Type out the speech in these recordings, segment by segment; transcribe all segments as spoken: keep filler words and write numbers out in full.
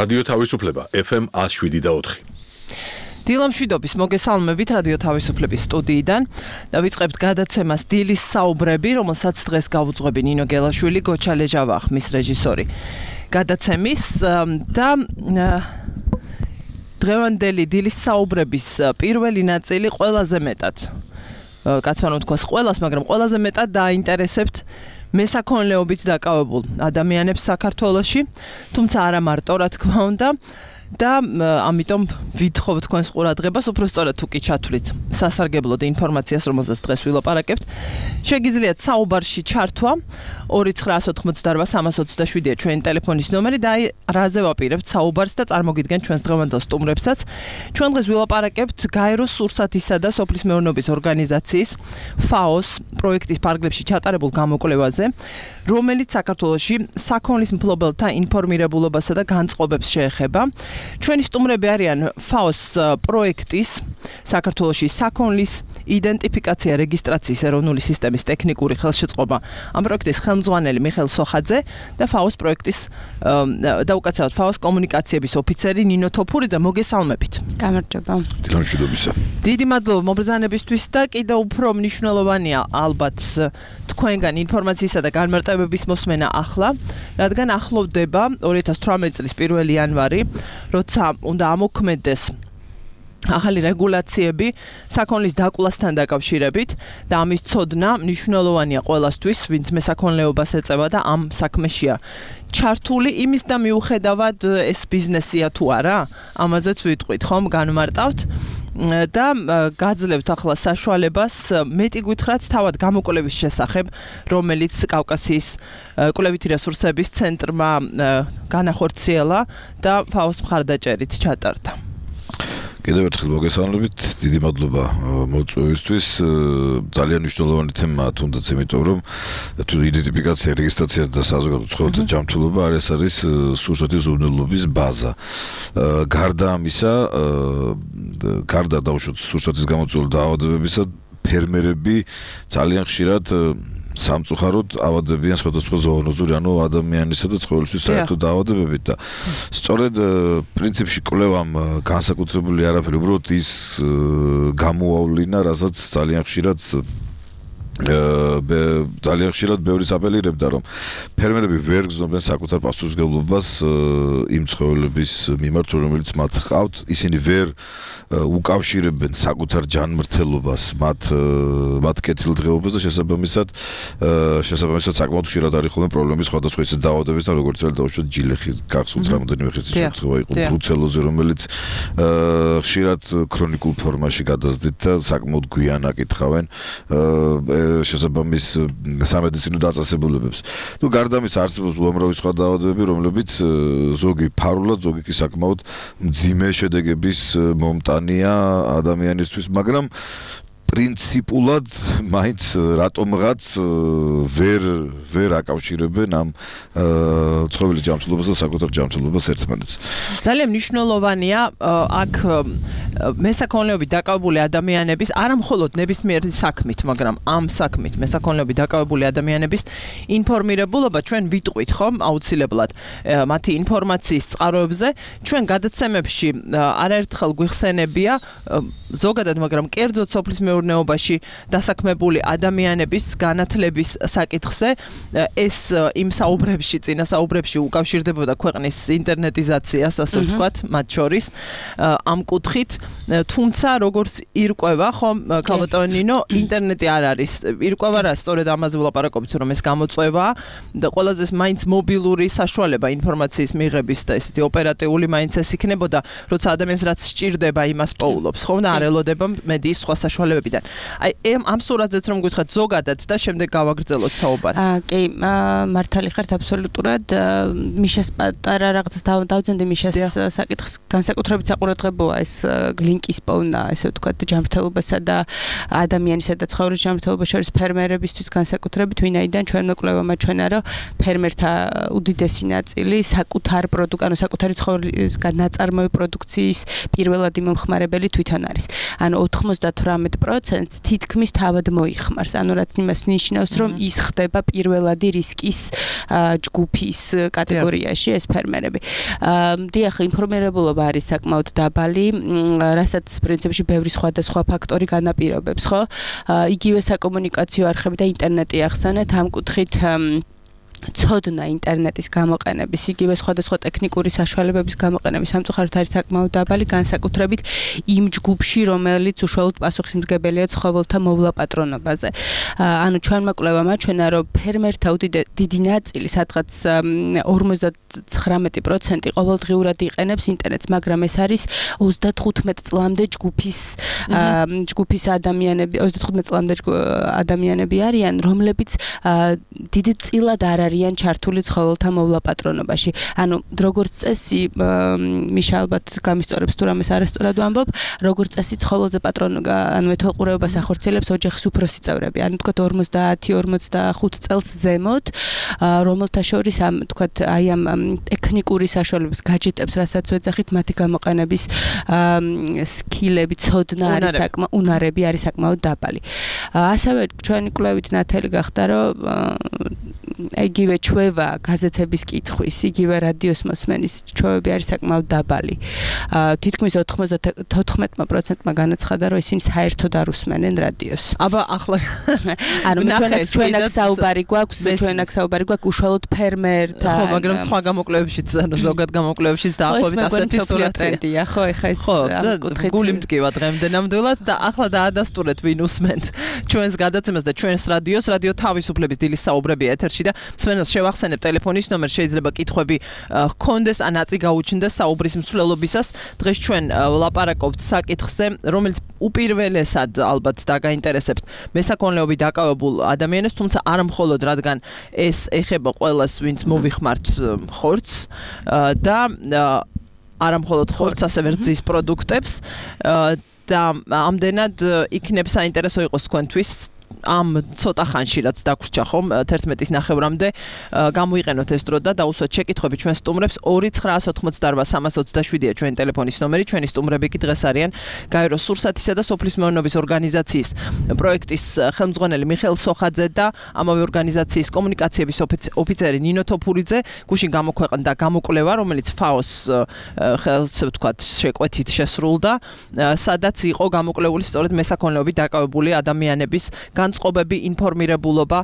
რადიო თავისუფლება F M one oh seven და four. დილამშვიდობის მოგესალმებით რადიო თავისუფლების სტუდიიდან და ვიწყებთ გადაცემას დილის საუბრები, რომელსაც დღეს გავუძღვები ნინო გელაშვილი, გოჩა ლეჟავა ხმის რეჟისორი. გადაცემის და დღევანდელი დილის საუბრების პირველი ნაწილი ყველაზე მეტად კაც ვარ თქვას ყველას, მაგრამ ყველაზე მეტად დაინტერესებთ მესაქონლეობით დაკავებულ ადამიანებს საქართველოში, თუმცა არა მარტო, რა თქმა უნდა. და ამიტომ ვითხოვთ თქვენს ყურადღებას, უფრო სწორად თუ კი ჩათვლით სასარგებლოდ ინფორმაციას, რომელზეც დღეს ვილაპარაკებთ. შეგიძლიათ საუბარში ჩართვა ორი ცხრა ოთხმოცდაოთხ სამას ოცდაშვიდია ჩვენი ტელეფონის ნომერი და აი რაზე ვაპირებთ საუბარს და წარმოგიდგენთ ჩვენს დღევანდელ სტუმრებსაც. ჩვენ დღეს ვილაპარაკებთ გაეროს სურსათისა და სოფლის მეურნეობის ორგანიზაციის ფაოს პროექტის ფარგლებში ჩატარებულ გამოკვლევაზე, რომელიც საქართველოში საქონლის მფლობელთა ინფორმირებულობასა და განწყობებს შეეხება. ჩვენი სტუმრები არიან ფაოს პროექტის საქართველოში საქონლის იდენტიფიკაცია რეგისტრაციის ეროვნული სისტემის ტექნიკური ხელშეწყობა ამ პროექტის ხელმძღვანელი მიხეილ სოხაძე და ფაოს პროექტის და უკაცრავად ფაოს კომუნიკაციების ოფიცერი ნინო თოფური და მოგესალმებით. გამარჯობა. დილამშვიდობისა. დიდი მადლობა მობრძანებისთვის და კიდევ უფრო მნიშვნელოვანია ალბათ თქვენგან ინფორმაციისა და განმარტებების მოსმენა ახლა, რადგან ახლოვდება ორი ათას თვრამეტი წლის პირველი იანვარი, როცა უნდა ამოქმედდეს ახალი რეგულაციები საქონლის დაკვლასთან დაკავშირებით და ამის ცოდნა მნიშვნელოვანია ყველასთვის, ვინც მესაქონლეობას ეწევა და ამ საქმეშია ჩართული, იმის და მიუხედავად ეს ბიზნესია თუ არა, ამაზეც ვიტყვით, ხომ, განმარტავთ და გაძლევთ ახლა საშუალებას მეტი გითხრათ თავად გამოკვლევის შესახებ, რომელიც კავკასიის კვლევითი რესურსების ცენტრმა განახორციელა და ფაოს მხარდაჭერით ჩატარდა. კიდევ ერთხელ მოგესალმებით, დიდი მადლობა მოწვევისთვის. ძალიან მნიშვნელოვანი თემაა, თუნდაც იმიტომ, რომ თუ იდენტიფიკაცია, რეგისტრაცია და საზოგადო ცხოველთა ჯანმრთელობა არის არის სურსათის უზრუნველობის ბაზა. გარდა ამისა, გარდა დაუშვათ სურსათის გამოწვეული დაავადებებისა, ფერმერები ძალიან ხშირად სამწუხაროდ ავადებიან სხვადასხვა ზოონოზური, ანუ ადამიანისა და ცხოველისთვის საერთო დაავადებებით და სწორედ პრინციპში კვლევამ განსაკუთრებული არაფერი, უბრალოდ ის გამოავლინა, რასაც ძალიან ხშირად ძალიან ხშირად ბევრი აპელირებდა, რომ ფერმერები ვერ გრძნობენ საკუთარ პასუხისმგებლობას იმ ცხოველების მიმართ, რომელიც მათ ჰყავთ, ისინი ვერ უკავშირებენ საკუთარ ჯანმრთელობას მათ მათ კეთილდღეობას და შესაბამისად შესაბამისად საკმაოდ ხშირად არის ხოლმე პრობლემები სხვადასხვა ისეთ დაავადებებთან, როგორც დაუშვათ ჯილეხი, გახსოვთ რამოდენიმე ხის შემთხვევა იყო ბრუცელოზი, რომელიც ხშირად ქრონიკულ ფორმაში გადაზდით და საკმაოდ გვიან აკითხავენ შესაბამის სამედიცინო დაწესებულებებს. თუ გარდა ამისა არსებობს უამრავი სხვა დაავადებები, რომლებიც ზოგი ფარულად, ზოგი კი საკმაოდ მძიმე შედეგების მომტანია ადამიანისთვის, მაგრამ პრინციპულად მაინც რატომღაც ვერ ვერ აკავშირებენ ამ ცხოველის ჯანმრთელობას და საკუთარ ჯანმრთელობას ერთმანეთს. ძალიან მნიშვნელოვანია აქ მესაქონლეობით დაკავებული ადამიანების, არა მხოლოდ ნებისმიერი საქმით, მაგრამ ამ საქმით მესაქონლეობით დაკავებული ადამიანების ინფორმირებულობა, ჩვენ ვიტყვით ხომ აუცილებლად მათი ინფორმაციის წყაროებზე, ჩვენ გადაცემებში არაერთხელ გვიხსენებია ზოგადად, მაგრამ კერძოდ სოფლის მეურნეობაში დასაქმებული ადამიანების განათლების საკითხზე, ეს იმ საუბრებში, წინა საუბრებში უკავშირდებოდა ქვეყნის ინტერნეტიზაციას, ასე ვთქვათ, მათ შორის ამ კუთხით, თუმცა როგორც ირკვევა, ხომ, ქალბატონო ნინო, ინტერნეტი არ არის. ირკვევა რა, სწორედ ამაზე ვლაპარაკობთ, რომ ეს გამოწვევა და ყველაზე მაინც მობილური საშუალება ინფორმაციის მიღების და ესეთი ოპერატიული მაინც ეს იქნებოდა, როცა ადამიანს რაც სჭირდება, იმას პოულობს, ხომ და არ ელოდება მედიის სხვა საშუალებებიდან. აი ამ სურათზეც რომ გითხრათ ზოგადად და შემდეგ გავაგრძელოთ საუბარი. აა კი, მართალი ხართ აბსოლუტურად. მიშას პატარა რაღაცას დავძენდი მიშას საკითხს განსაკუთრებით საყურადღებოა ეს ლინკის პოვნა, ესე ვთქვათ, ჯანმრთელობასა და ადამიანისა და ცხოველის ჯანმრთელობის შორის ფერმერებისთვის განსაკუთრებით, ვინაიდან ჩვენმა კვლევამ აჩვენა, რომ ფერმერთა უდიდესი ნაწილი საკუთარ პროდუქტ, ანუ საკუთარი ცხოველისგან ნაწარმოები პროდუქციის პირველადი მომხმარებელი თვითონ არის. ანუ ოთხმოცდათვრამეტ პროცენტს თითქმის თავად მოიხმარს. ანუ რაც იმას ნიშნავს, რომ ის ხდება პირველადი რისკის ჯგუფის კატეგორიაში ეს ფერმერები. დიახ, ინფორმირებულობა არის საკმაოდ დაბალი, რასაც პრინციპში ბევრი სხვადასხვა ფაქტორი განაპირობებს, ხო? იგივე საკომუნიკაციო არხები და ინტერნეტი ახსენეთ, ამ კუთხით ცოდნა ინტერნეტის გამოყენების, იგივე სხვადასხვა ტექნიკური საშუალებების გამოყენების სამწუხაროდ არის საკმაოდ დაბალი, განსაკუთრებით იმ ჯგუფში, რომელიც უშუალოდ პასუხისმგებელია ცხოველთა მოვლა პატრონობაზე. ანუ ჩვენმა კვლევამ აჩვენა, რომ ფერმერთა დიდი ნაწილი, სადღაც ორმოცდათხრამეტი პროცენტი ყოველდღიურად იყენებს ინტერნეტს, მაგრამ ეს არის ოცდათხუთმეტ წლამდე ჯგუფის ჯგუფის ადამიანები, ოცდათხუთმეტ წლამდე ადამიანები არიან, რომლებიც დიდი წილად არ არიან ჩართული ცხოველთა მოვლა პატრონობაში. ანუ როგორც წესი, მიშა ალბათ გამისწორებს თუ რამეს არასწორად ვამბობ, როგორც წესი ცხოველზე პატრონ ანუ მეთვალყურეობას ახორციელებს ოჯახის უფროსი წევრები. ანუ თქვათ ორმოცდაათი ორმოცდახუთ წელს ზემოთ, რომელთა შორის ამ თქვათ აი ამ ტექნიკური საშუალებების გაჯეტებს, რასაც ვეძახით, მათი გამოყენების სკილები, ცოდნა არის საკმაოდ უნარები არის საკმაოდ დაბალი. ასევე ჩვენი კვლევით ნათელი გახდა, რომ იგივე ჩვევა გაზეთების კითხვის, იგივე რადიოს მოსმენის ჩვევები არის საკმაოდ დაბალი. თითქმის ოთხმეტ პროცენტმა განაცხადა, რომ ისინი საერთოდ არ უსმენენ რადიოს. აბა ახლა ანუ ჩვენაც ჩვენაც საუბარი გვაქვს, ჩვენაც საუბარი გვაქვს უშუალოდ ფერმერთან. ხო, მაგრამ სხვა გამოკვლევებშიც, ანუ ზოგად გამოკვლევებშიც დაახლოებით ასეთი სურათია, ხო, ეხა ეს კუთხით გული მდგება დღემდე ნამდვილად და ახლა დაადასტურეთ ვინ უსმენთ ჩვენს გადაცემას და ჩვენს რადიოს, რადიო თავისუფლების დილის საუბრები ეთერში და მსმენელს შევახსენებ ტელეფონის ნომერს, შეიძლება კითხვები ჰქონდეს ან აწი გაუჩნდეს საუბრის მსვლელობისას. დღეს ჩვენ ვლაპარაკობთ საკითხზე, რომელიც უპირველესად ალბათ დაგაინტერესებთ მესაქონლეობით დაკავებულ ადამიანებს, თუმცა არა მხოლოდ, რადგან ეს ეხება ყველას, ვინც მოვიხმართ ხორცს და არა მხოლოდ ხორცს, ასევე რძის პროდუქტებს და ამდენად იქნებ საინტერესო იყოს თქვენთვის ამ ცოტა ხანში რაც დაგვრჩა ხომ თერთმეტის ნახევრამდე გამოიყენოთ ეს დრო და დაუსვათ შეკითხვები ჩვენ სტუმრებს ორი ცხრაას ოთხმოცდაარბა სამას ოცდაშვიდია ჩვენი ტელეფონის ნომერი. ჩვენი სტუმრები კი დღეს არიან გაეროს სურსათისა და სოფლის მეურნეობის ორგანიზაციის პროექტის ხელმძღვანელი მიხეილ სოხაძე და ამავე ორგანიზაციის კომუნიკაციების ოფიცერი ნინო თოფურიძე. გუშინ გამოქვეყნდა გამოკვლევა, რომელიც ფაოს ხელს ვთქვათ შეკვეთით შესრულდა, სადაც იყო გამოკვლეული სწორედ მესაქონლეობით დაკავებული ადამიანების განწყობები, ინფორმირებულობა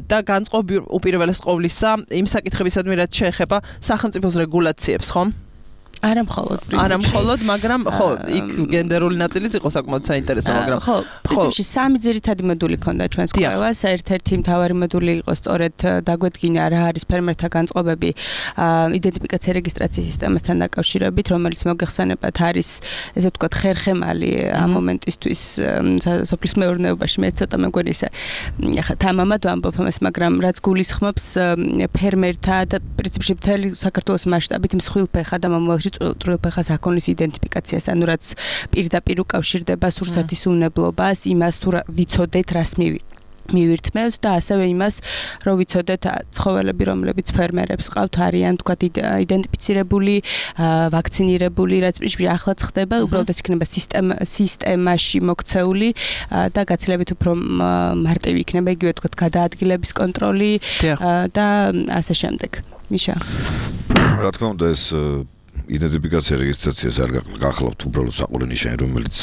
და განწყობი უპირველეს ყოვლისა იმ საკითხებისადმი, რაც შეეხება სახელმწიფოს რეგულაციებს, ხომ? არა მხოლოდ პრინციპში. არა მხოლოდ, მაგრამ ხო, იქ გენდერული ნაწილიც იყო საკმაოდ საინტერესო, მაგრამ ხო, პრინციპში სამი ძირითადი მოდული ქონდა ჩვენს კვლევას. ერთ-ერთი მთავარი მოდული იყო სწორედ დაგვედგინა რა არის ფერმერთა განწყობები იდენტიფიკაცია რეგისტრაციის სისტემასთან დაკავშირებით, რომელიც მოგეხსენებათ არის ესე ვთქვათ ხერხემალი ამ მომენტისთვის სოფლის მეურნეობაში. მე ცოტა მეგონი ისე ახლა თამამად ვამბობ ამას, მაგრამ რაც გულისხმობს ფერმერთა და პრინციპში მთელი საქართველოს მასშტაბით მსხვილფეხა და მომავალში წვრილფეხა საქონლის იდენტიფიკაციას, ანუ რაც პირდაპირ უკავშირდება სურსათის უნებლობას, იმას თუ ვიცოდეთ რას მივირთმევთ და ასევე იმას, რომ ვიცოდეთ ცხოველები, რომლებიც ფერმერებს ყავთ, არიან თქვათ იდენტიფიცირებული, ვაქცინირებული, რაც პრინციპში ახლაც ხდება, უბრალოდ ეს იქნება სისტემაში მოქცეული და გაცილებით უფრო მარტივი იქნება, იგივე თქვათ გადაადგილების კონტროლი და ასე შემდეგ. მიშა. რა თქმა უნდა, ეს იდენტიფიკაცია რეგისტრაციას არ გახლავთ უბრალოდ საყურე ნიშანი, რომელიც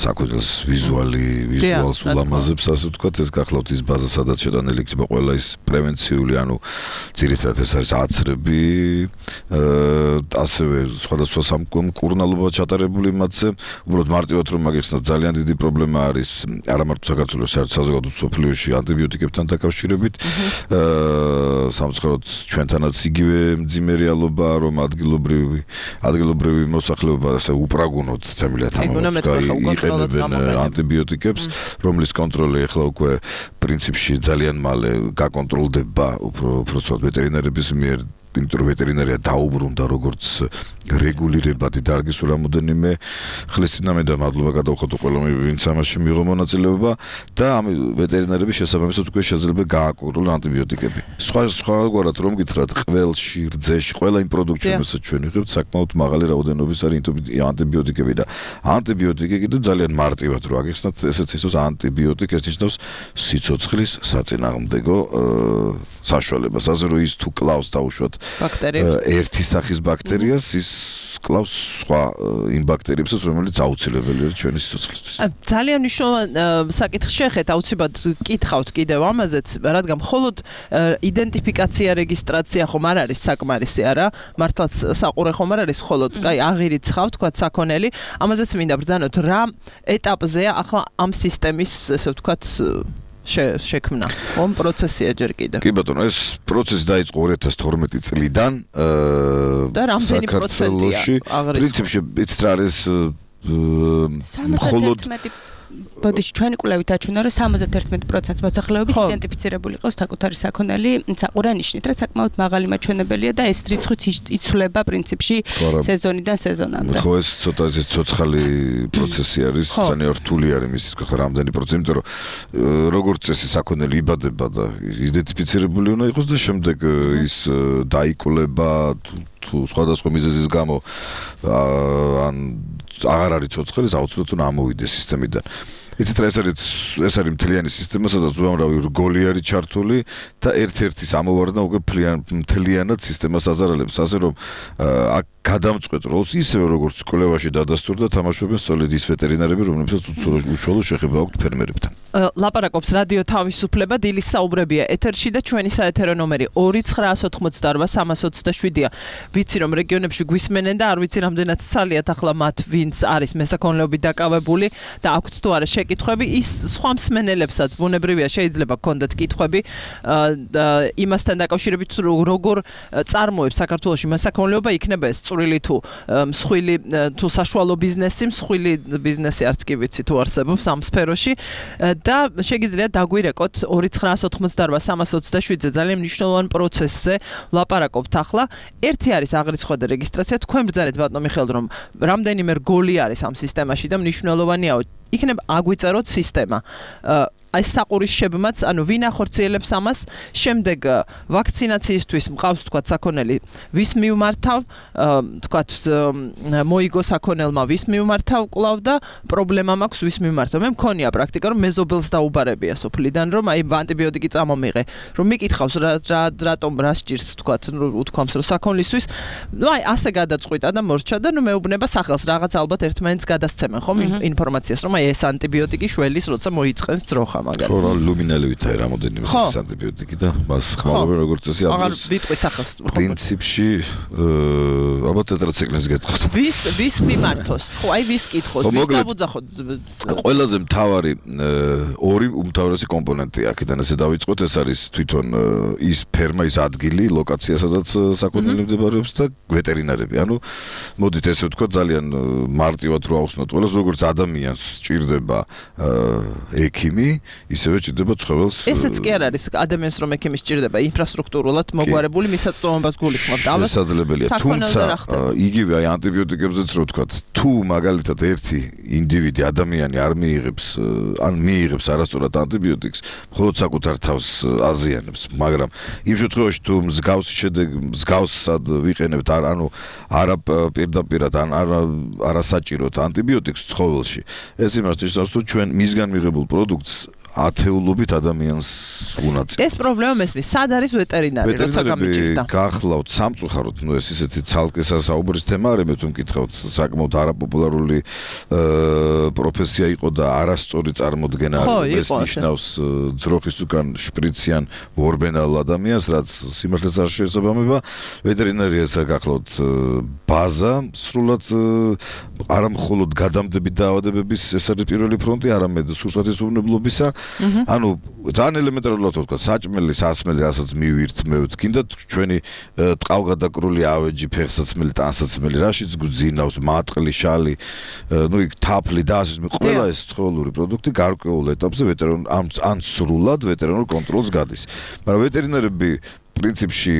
საკუთრებას ვიზუალი ვიზუალს ულამაზებს, ასე ვთქვათ, ეს გახლავთ ის ბაზა, სადაც შეტანილი იქნება ყველა ის პრევენციული, ანუ ძირითადად ეს არის აცრები, ასევე სხვადასხვა სამკურნალობა ჩატარებული მათზე. უბრალოდ მარტივად რომ მაგეხსნათ, ძალიან დიდი პრობლემა არის არა მარტო საქართველოს, საერთოდ საზოგადო სოფლიოში ანტიბიოტიკებთან დაკავშირებით. სამწუხაროდ ჩვენთანაც იგივე მძიმე რეალობა, რომ ადგილობრივი ადგილობრივი მოსახლეობა ასე უპრაგუნოდ წემილია იყენებენ ანტიბიოტიკებს, რომლის კონტროლი ახლა უკვე პრინციპში ძალიან მალე გაკონტროლდება უფრო უბრალოდ ვეტერინარების მიერ იმიტომ რომ ვეტერინარია დაუბრუნდა როგორც რეგულირებადი დარგის რამოდენიმე ხლის წინამე და მადლობა გადავხოთ ყველამ ვინც ამაში მიიღო მონაწილეობა და ამ ვეტერინარების შესაბამისად უკვე შეიძლება გააკურონ ანტიბიოტიკები. სხვა სხვაგვარად რომ გითხრათ ყველში, რძეში, ყველა იმ პროდუქტში რომელსაც ჩვენ ვიღებთ საკმაოდ მაღალი რაოდენობის არის ანტიბიოტიკები და ანტიბიოტიკი კიდე ძალიან მარტივად რო აგიხსნათ ესეც ისოს ანტიბიოტიკი ეს ნიშნავს სიცოცხლის საწინააღმდეგო საშუალებას. ასე რომ ის თუ კლავს დაუშვათ ერთი სახის ბაქტერიას ის კლავს სხვა იმ ბაქტერიებსაც რომელიც აუცილებელია ჩვენი სიცოცხლისთვის. ძალიან მნიშვნელოვანი საკითხი შეხეთ აუცილებლად კითხავთ კიდევ ამაზეც რადგან მხოლოდ იდენტიფიკაცია რეგისტრაცია ხომ არ არის საკმარისი არა მართლაც საყურე ხომ არ არის მხოლოდ კაი აღირიც ხავთ თქვა საქონელი ამაზეც მინდა ბრძანოთ რა ეტაპზეა ახლა ამ სისტემის ესე ვთქვათ შექმნა. ომ პროცესია ჯერ კიდევ. კი ბატონო, ეს პროცესი დაიწყო ორი ათას თორმეტი წლიდან. და რამდენი პროცენტია? პრინციპში იცით რა არის მხოლოდ ბოდიში ჩვენი კვლევით აჩვენა რომ სამოცდაერთმეტი პროცენტს მოსახლეობის იდენტიფიცირებული იყოს საკუთარი საქონელი საყურანიშნით, რაც საკმაოდ მაღალი მაჩვენებელია და ეს რიცხვიც იცვლება პრინციპში სეზონიდან სეზონამდე. ხო, ეს ცოტა ეს ცოცხალი პროცესი არის, ძალიან რთული არის მის თქო რამდენი პროცენტი, იმიტომ რომ როგორც წესი საქონელი იბადება და იდენტიფიცირებული უნდა იყოს და შემდეგ ის დაიკვლება თუ სხვადასხვა მიზეზის გამო ან აღარ არის ცოცხალი, აუცილებლად უნდა ამოვიდეს სისტემიდან. იცით რა ეს არის ეს არის მთლიანი სისტემა, სადაც უამრავი რგოლი არის ჩართული და ერთ-ერთის ამოვარდნა უკვე მთლიანად სისტემას აზარალებს, ასე რომ აქ გადამწყვეტ როლს ისევე როგორც კვლევაში დადასტურდა თამაშობენ სწორედ ის ვეტერინარები, რომლებსაც უშუალო შეხება აქვთ ფერმერებთან. ლაპარაკობს რადიო თავისუფლება, დილის საუბრებია ეთერში და ჩვენი საეთერო ნომერი ორი ცხრაას ოთხმოცდაორბა სამას ოცდაშვიდია. ვიცი რომ რეგიონებში გვისმენენ და არ ვიცი რამდენად ცალიათ ახლა მათ ვინც არის მესაქონლეობით დაკავებული და აქვთ თუ არა კითხვები ის სხვა მსმენელებსაც ბუნებრივია შეიძლება გქონდეთ კითხვები იმასთან დაკავშირებით როგორ წარმოებს საქართველოში მესაქონლეობა იქნება ეს წვრილი თუ მსხვილი თუ საშუალო ბიზნესი მსხვილი ბიზნესი არც კი ვიცი თუ არსებობს ამ სფეროში და შეგიძლიათ დაგვირეკოთ ორი ცხრაას ოთხმოცდაორბა სამას ოცდაშვიდზე ძალიან მნიშვნელოვან პროცესზე ვლაპარაკობთ ახლა ერთი არის აღრიცხვა და რეგისტრაცია თქვენ ბრძანეთ ბატონო მიხეილ რომ რამდენიმე რგოლი არის ამ სისტემაში და მნიშვნელოვანია იქნება აგვიწეროთ სისტემა. ეს საყურისშებმაც, ანუ ვინ ახორციელებს ამას, შემდეგ ვაქცინაციისთვის მყავს თქვათ საქონელი, ვის მიმართავ, თქვათ მოიგო საქონელმა ვის მიმართავ კვლავ და პრობლემა მაქვს ვის მიმართავ. მე მქონია პრაქტიკა რომ მეზობელს დაუბარებია სოფლიდან რომ აი ანტიბიოტიკი წამომიღე, რომ მიკითხავს რა რატომ რა სჭირს თქვათ უთქვამს რომ საქონლისთვის, ну აი ასე გადაწყვიტა და მორჩა და ნუ მეუბნება სახელს რაღაც ალბათ ერთმანეთს გადასცემენ ხომ ინფორმაციას რომ აი ეს ანტიბიოტიკი შველის როცა მოიწყენს ძროხა ხო, ლუმინალევით არის რამოდენიმე სახის ანტიბიოტიკი და მას ხმალობენ როგორც წესი აღარ ვიტყვი სახელს. პრინციპში ალბათ ტეტრაციკლინს გეტყვით. ვის ვის მიმართოს? ხო, აი ვის კითხოს, ვის დაბუძახოთ? ყველაზე მთავარი ორი უმთავრესი კომპონენტი აქედან ესე დავიწყოთ, ეს არის თვითონ ის ფერმა, ის ადგილი, ლოკაცია, სადაც საქონელი მდებარეობს და ვეტერინარები. ანუ მოდით ესე ვთქვათ, ძალიან მარტივად რო ავხსნათ ყველას, როგორც ადამიანს სჭირდება ექიმი ისევე ჭირდება ცხოველს. ესეც კი არ არის ადამიანს რომ ექიმი სჭირდება ინფრასტრუქტურულად მოგვარებული მისაწვდომობას გულისხმობთ. შესაძლებელია, თუმცა იგივე აი ანტიბიოტიკებზეც რო ვთქვათ, თუ მაგალითად ერთი ინდივიდი ადამიანი არ მიიღებს ან მიიღებს არასწორად ანტიბიოტიკს, მხოლოდ საკუთარ თავს აზიანებს, მაგრამ იმ შემთხვევაში თუ მსგავს შედეგ მსგავსად ვიყენებთ ანუ არა პირდაპირად ან არასაჭიროდ ანტიბიოტიკს ცხოველში, ეს იმას ნიშნავს თუ ჩვენ მისგან მიღებულ პროდუქტს ათეულობით ადამიანს უნაწილებს. ეს პრობლემა მესმის, სად არის ვეტერინარი, როცა გამიჭირდა? გახლავთ სამწუხაროდ, ну ეს ისეთი ცალკე საუბრის თემა არის, მე თუ მკითხავთ, საკმაოდ არაპოპულარული პროფესია იყო და არასწორი წარმოდგენა არის, ეს ნიშნავს ძროხის უკან შპრიციან ორბენალ ადამიანს, რაც სიმართლეს არ შეესაბამება. ვეტერინარიას გახლავთ ბაზა, სრულად არა მხოლოდ გადამდებით დაავადებების ეს არის პირველი ფრონტი, არამედ სურსათის უვნებლობისა. ანუ ძალიან ელემენტარულად ვთქვა, საჭმელი, სასმელი, რასაც მივირთმევთ, კიდე ჩვენი ტყავგადაკრული ავეჯი, ფეხსაცმელი, ტანსაცმელი, რაშიც გვძინავს, მატყლი, შალი, ну იქ თაფლი და ასე ყველა ეს ცხოველური პროდუქტი გარკვეულ ეტაპზე ვეტერინარ ან სრულად ვეტერინარ კონტროლს გადის. მაგრამ ვეტერინარები პრინციპში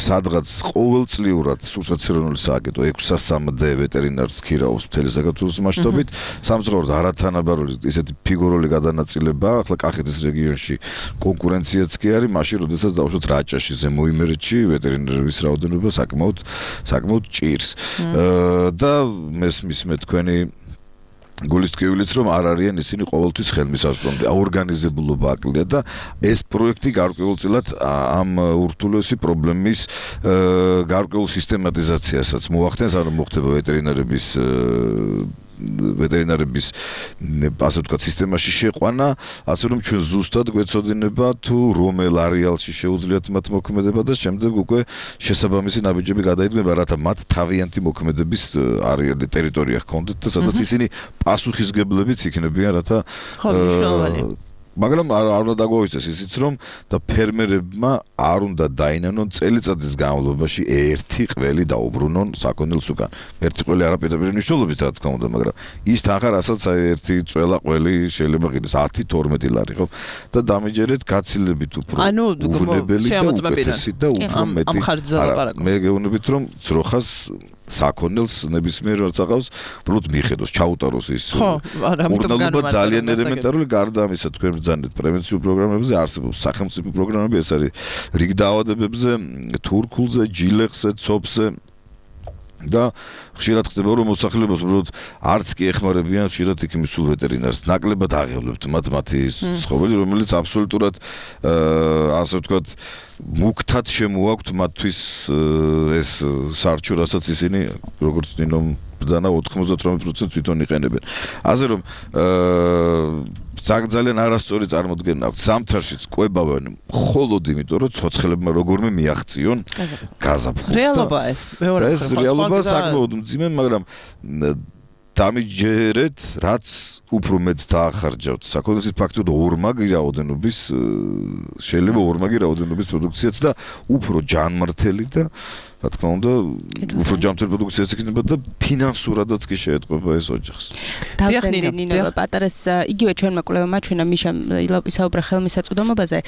სადღაც ყოველწლიურად სურსათცერონული სააგენტო ექვსასამდე ვეტერინარს ქირაობს მთელი საქართველოს მასშტაბით. სამწუხაროდ არათანაბარული ისეთი ფიგურული გადანაწილება ახლა კახეთის რეგიონში კონკურენციაც კი არის, მაშინ როდესაც დავუშვათ რაჭაში, ზემო იმერეთში ვეტერინარების რაოდენობა საკმაოდ საკმაოდ ჭირს. და მესმის მე თქვენი გულისტკივილიც რომ არ არიან ისინი ყოველთვის ხელმისაწვდომი, აორგანიზებულობა აკლია და ეს პროექტი გარკვეულწილად ამ ურთულესი პრობლემის გარკვეულ სისტემატიზაციასაც მოახდენს, ანუ მოხდება ვეტერინარების ვეტერინარების ასე ვთქვათ სისტემაში შეყვანა, ასე რომ ჩვენ ზუსტად გვეცოდინება თუ რომელ არეალში შეუძლიათ მათ მოქმედება და შემდეგ უკვე შესაბამისი ნაბიჯები გადაიდგება, რათა მათ თავიანთი მოქმედების არეალი ტერიტორია ჰქონდეთ და სადაც ისინი პასუხისგებლებიც იქნებიან, რათა მაგრამ არ უნდა დაგვაუწეს ისიც რომ და ფერმერებმა არ უნდა დაინანონ წელიწადის განმავლობაში ერთი ყველი დაუბრუნონ საქონელს უკან. ერთი ყველი არაპირდაპირ მნიშვნელობით რა თქმა უნდა, მაგრამ ის თანხა რასაც ერთი წველა ყველი შეიძლება ღირს ათი თორმეტი ლარი ხო და დამიჯერეთ გაცილებით უფრო უვნებელი და უკეთესი და უფრო მეტი. მე გეუბნებით რომ ძროხას საქონელს ნებისმიერ რაც აღავს, უბრალოდ მიხედოს, ჩაუტაროს ის. კურნალობა ძალიან ელემენტარული, გარდა ამისა თქვენ ბრძანეთ პრევენციულ პროგრამებზე, არსებობს სახელმწიფო პროგრამები, ეს არის რიგ დაავადებებზე, თურქულზე, ჯილეხზე, ცოფზე და ხშირად ხდება რომ მოსახლეობას უბრალოდ არც კი ეხმარებიან ხშირად იქ მისულ ვეტერინარს. ნაკლებად აღევლებთ მათ მათი ცხოველი, რომელიც აბსოლუტურად ასე ვთქვათ მუქთად შემოაქვთ მათთვის ეს სარჩო, რასაც ისინი როგორც ნინომ ბრძანა ოთხმოცდაოთხ პროცენტს თვითონ იყენებენ. ასე რომ ძალიან არასწორი წარმოდგენა აქვს. ზამთარშიც კვებავენ მხოლოდ იმიტომ, რომ ცოცხლებმა როგორმე მიაღწიონ გაზაფხულს. რეალობაა ეს. მეორე ეს რეალობა საკმაოდ მძიმე, მაგრამ დამიჯერეთ, რაც უფრო მეც დაახარჯავთ. საქონელს ფაქტობრივად ორმაგი რაოდენობის შეიძლება ორმაგი რაოდენობის პროდუქციაც და უფრო ჯანმრთელი და რა თქმა უნდა, უფრო ჯანმრთელი პროდუქციაც იქნება და ფინანსურადაც კი შეეტყობა ეს ოჯახს. დავწერდი ნინო პატარას იგივე ჩვენმა კვლევამ აჩვენა მიშამ ისაუბრა ხელმისაწვდომობაზე.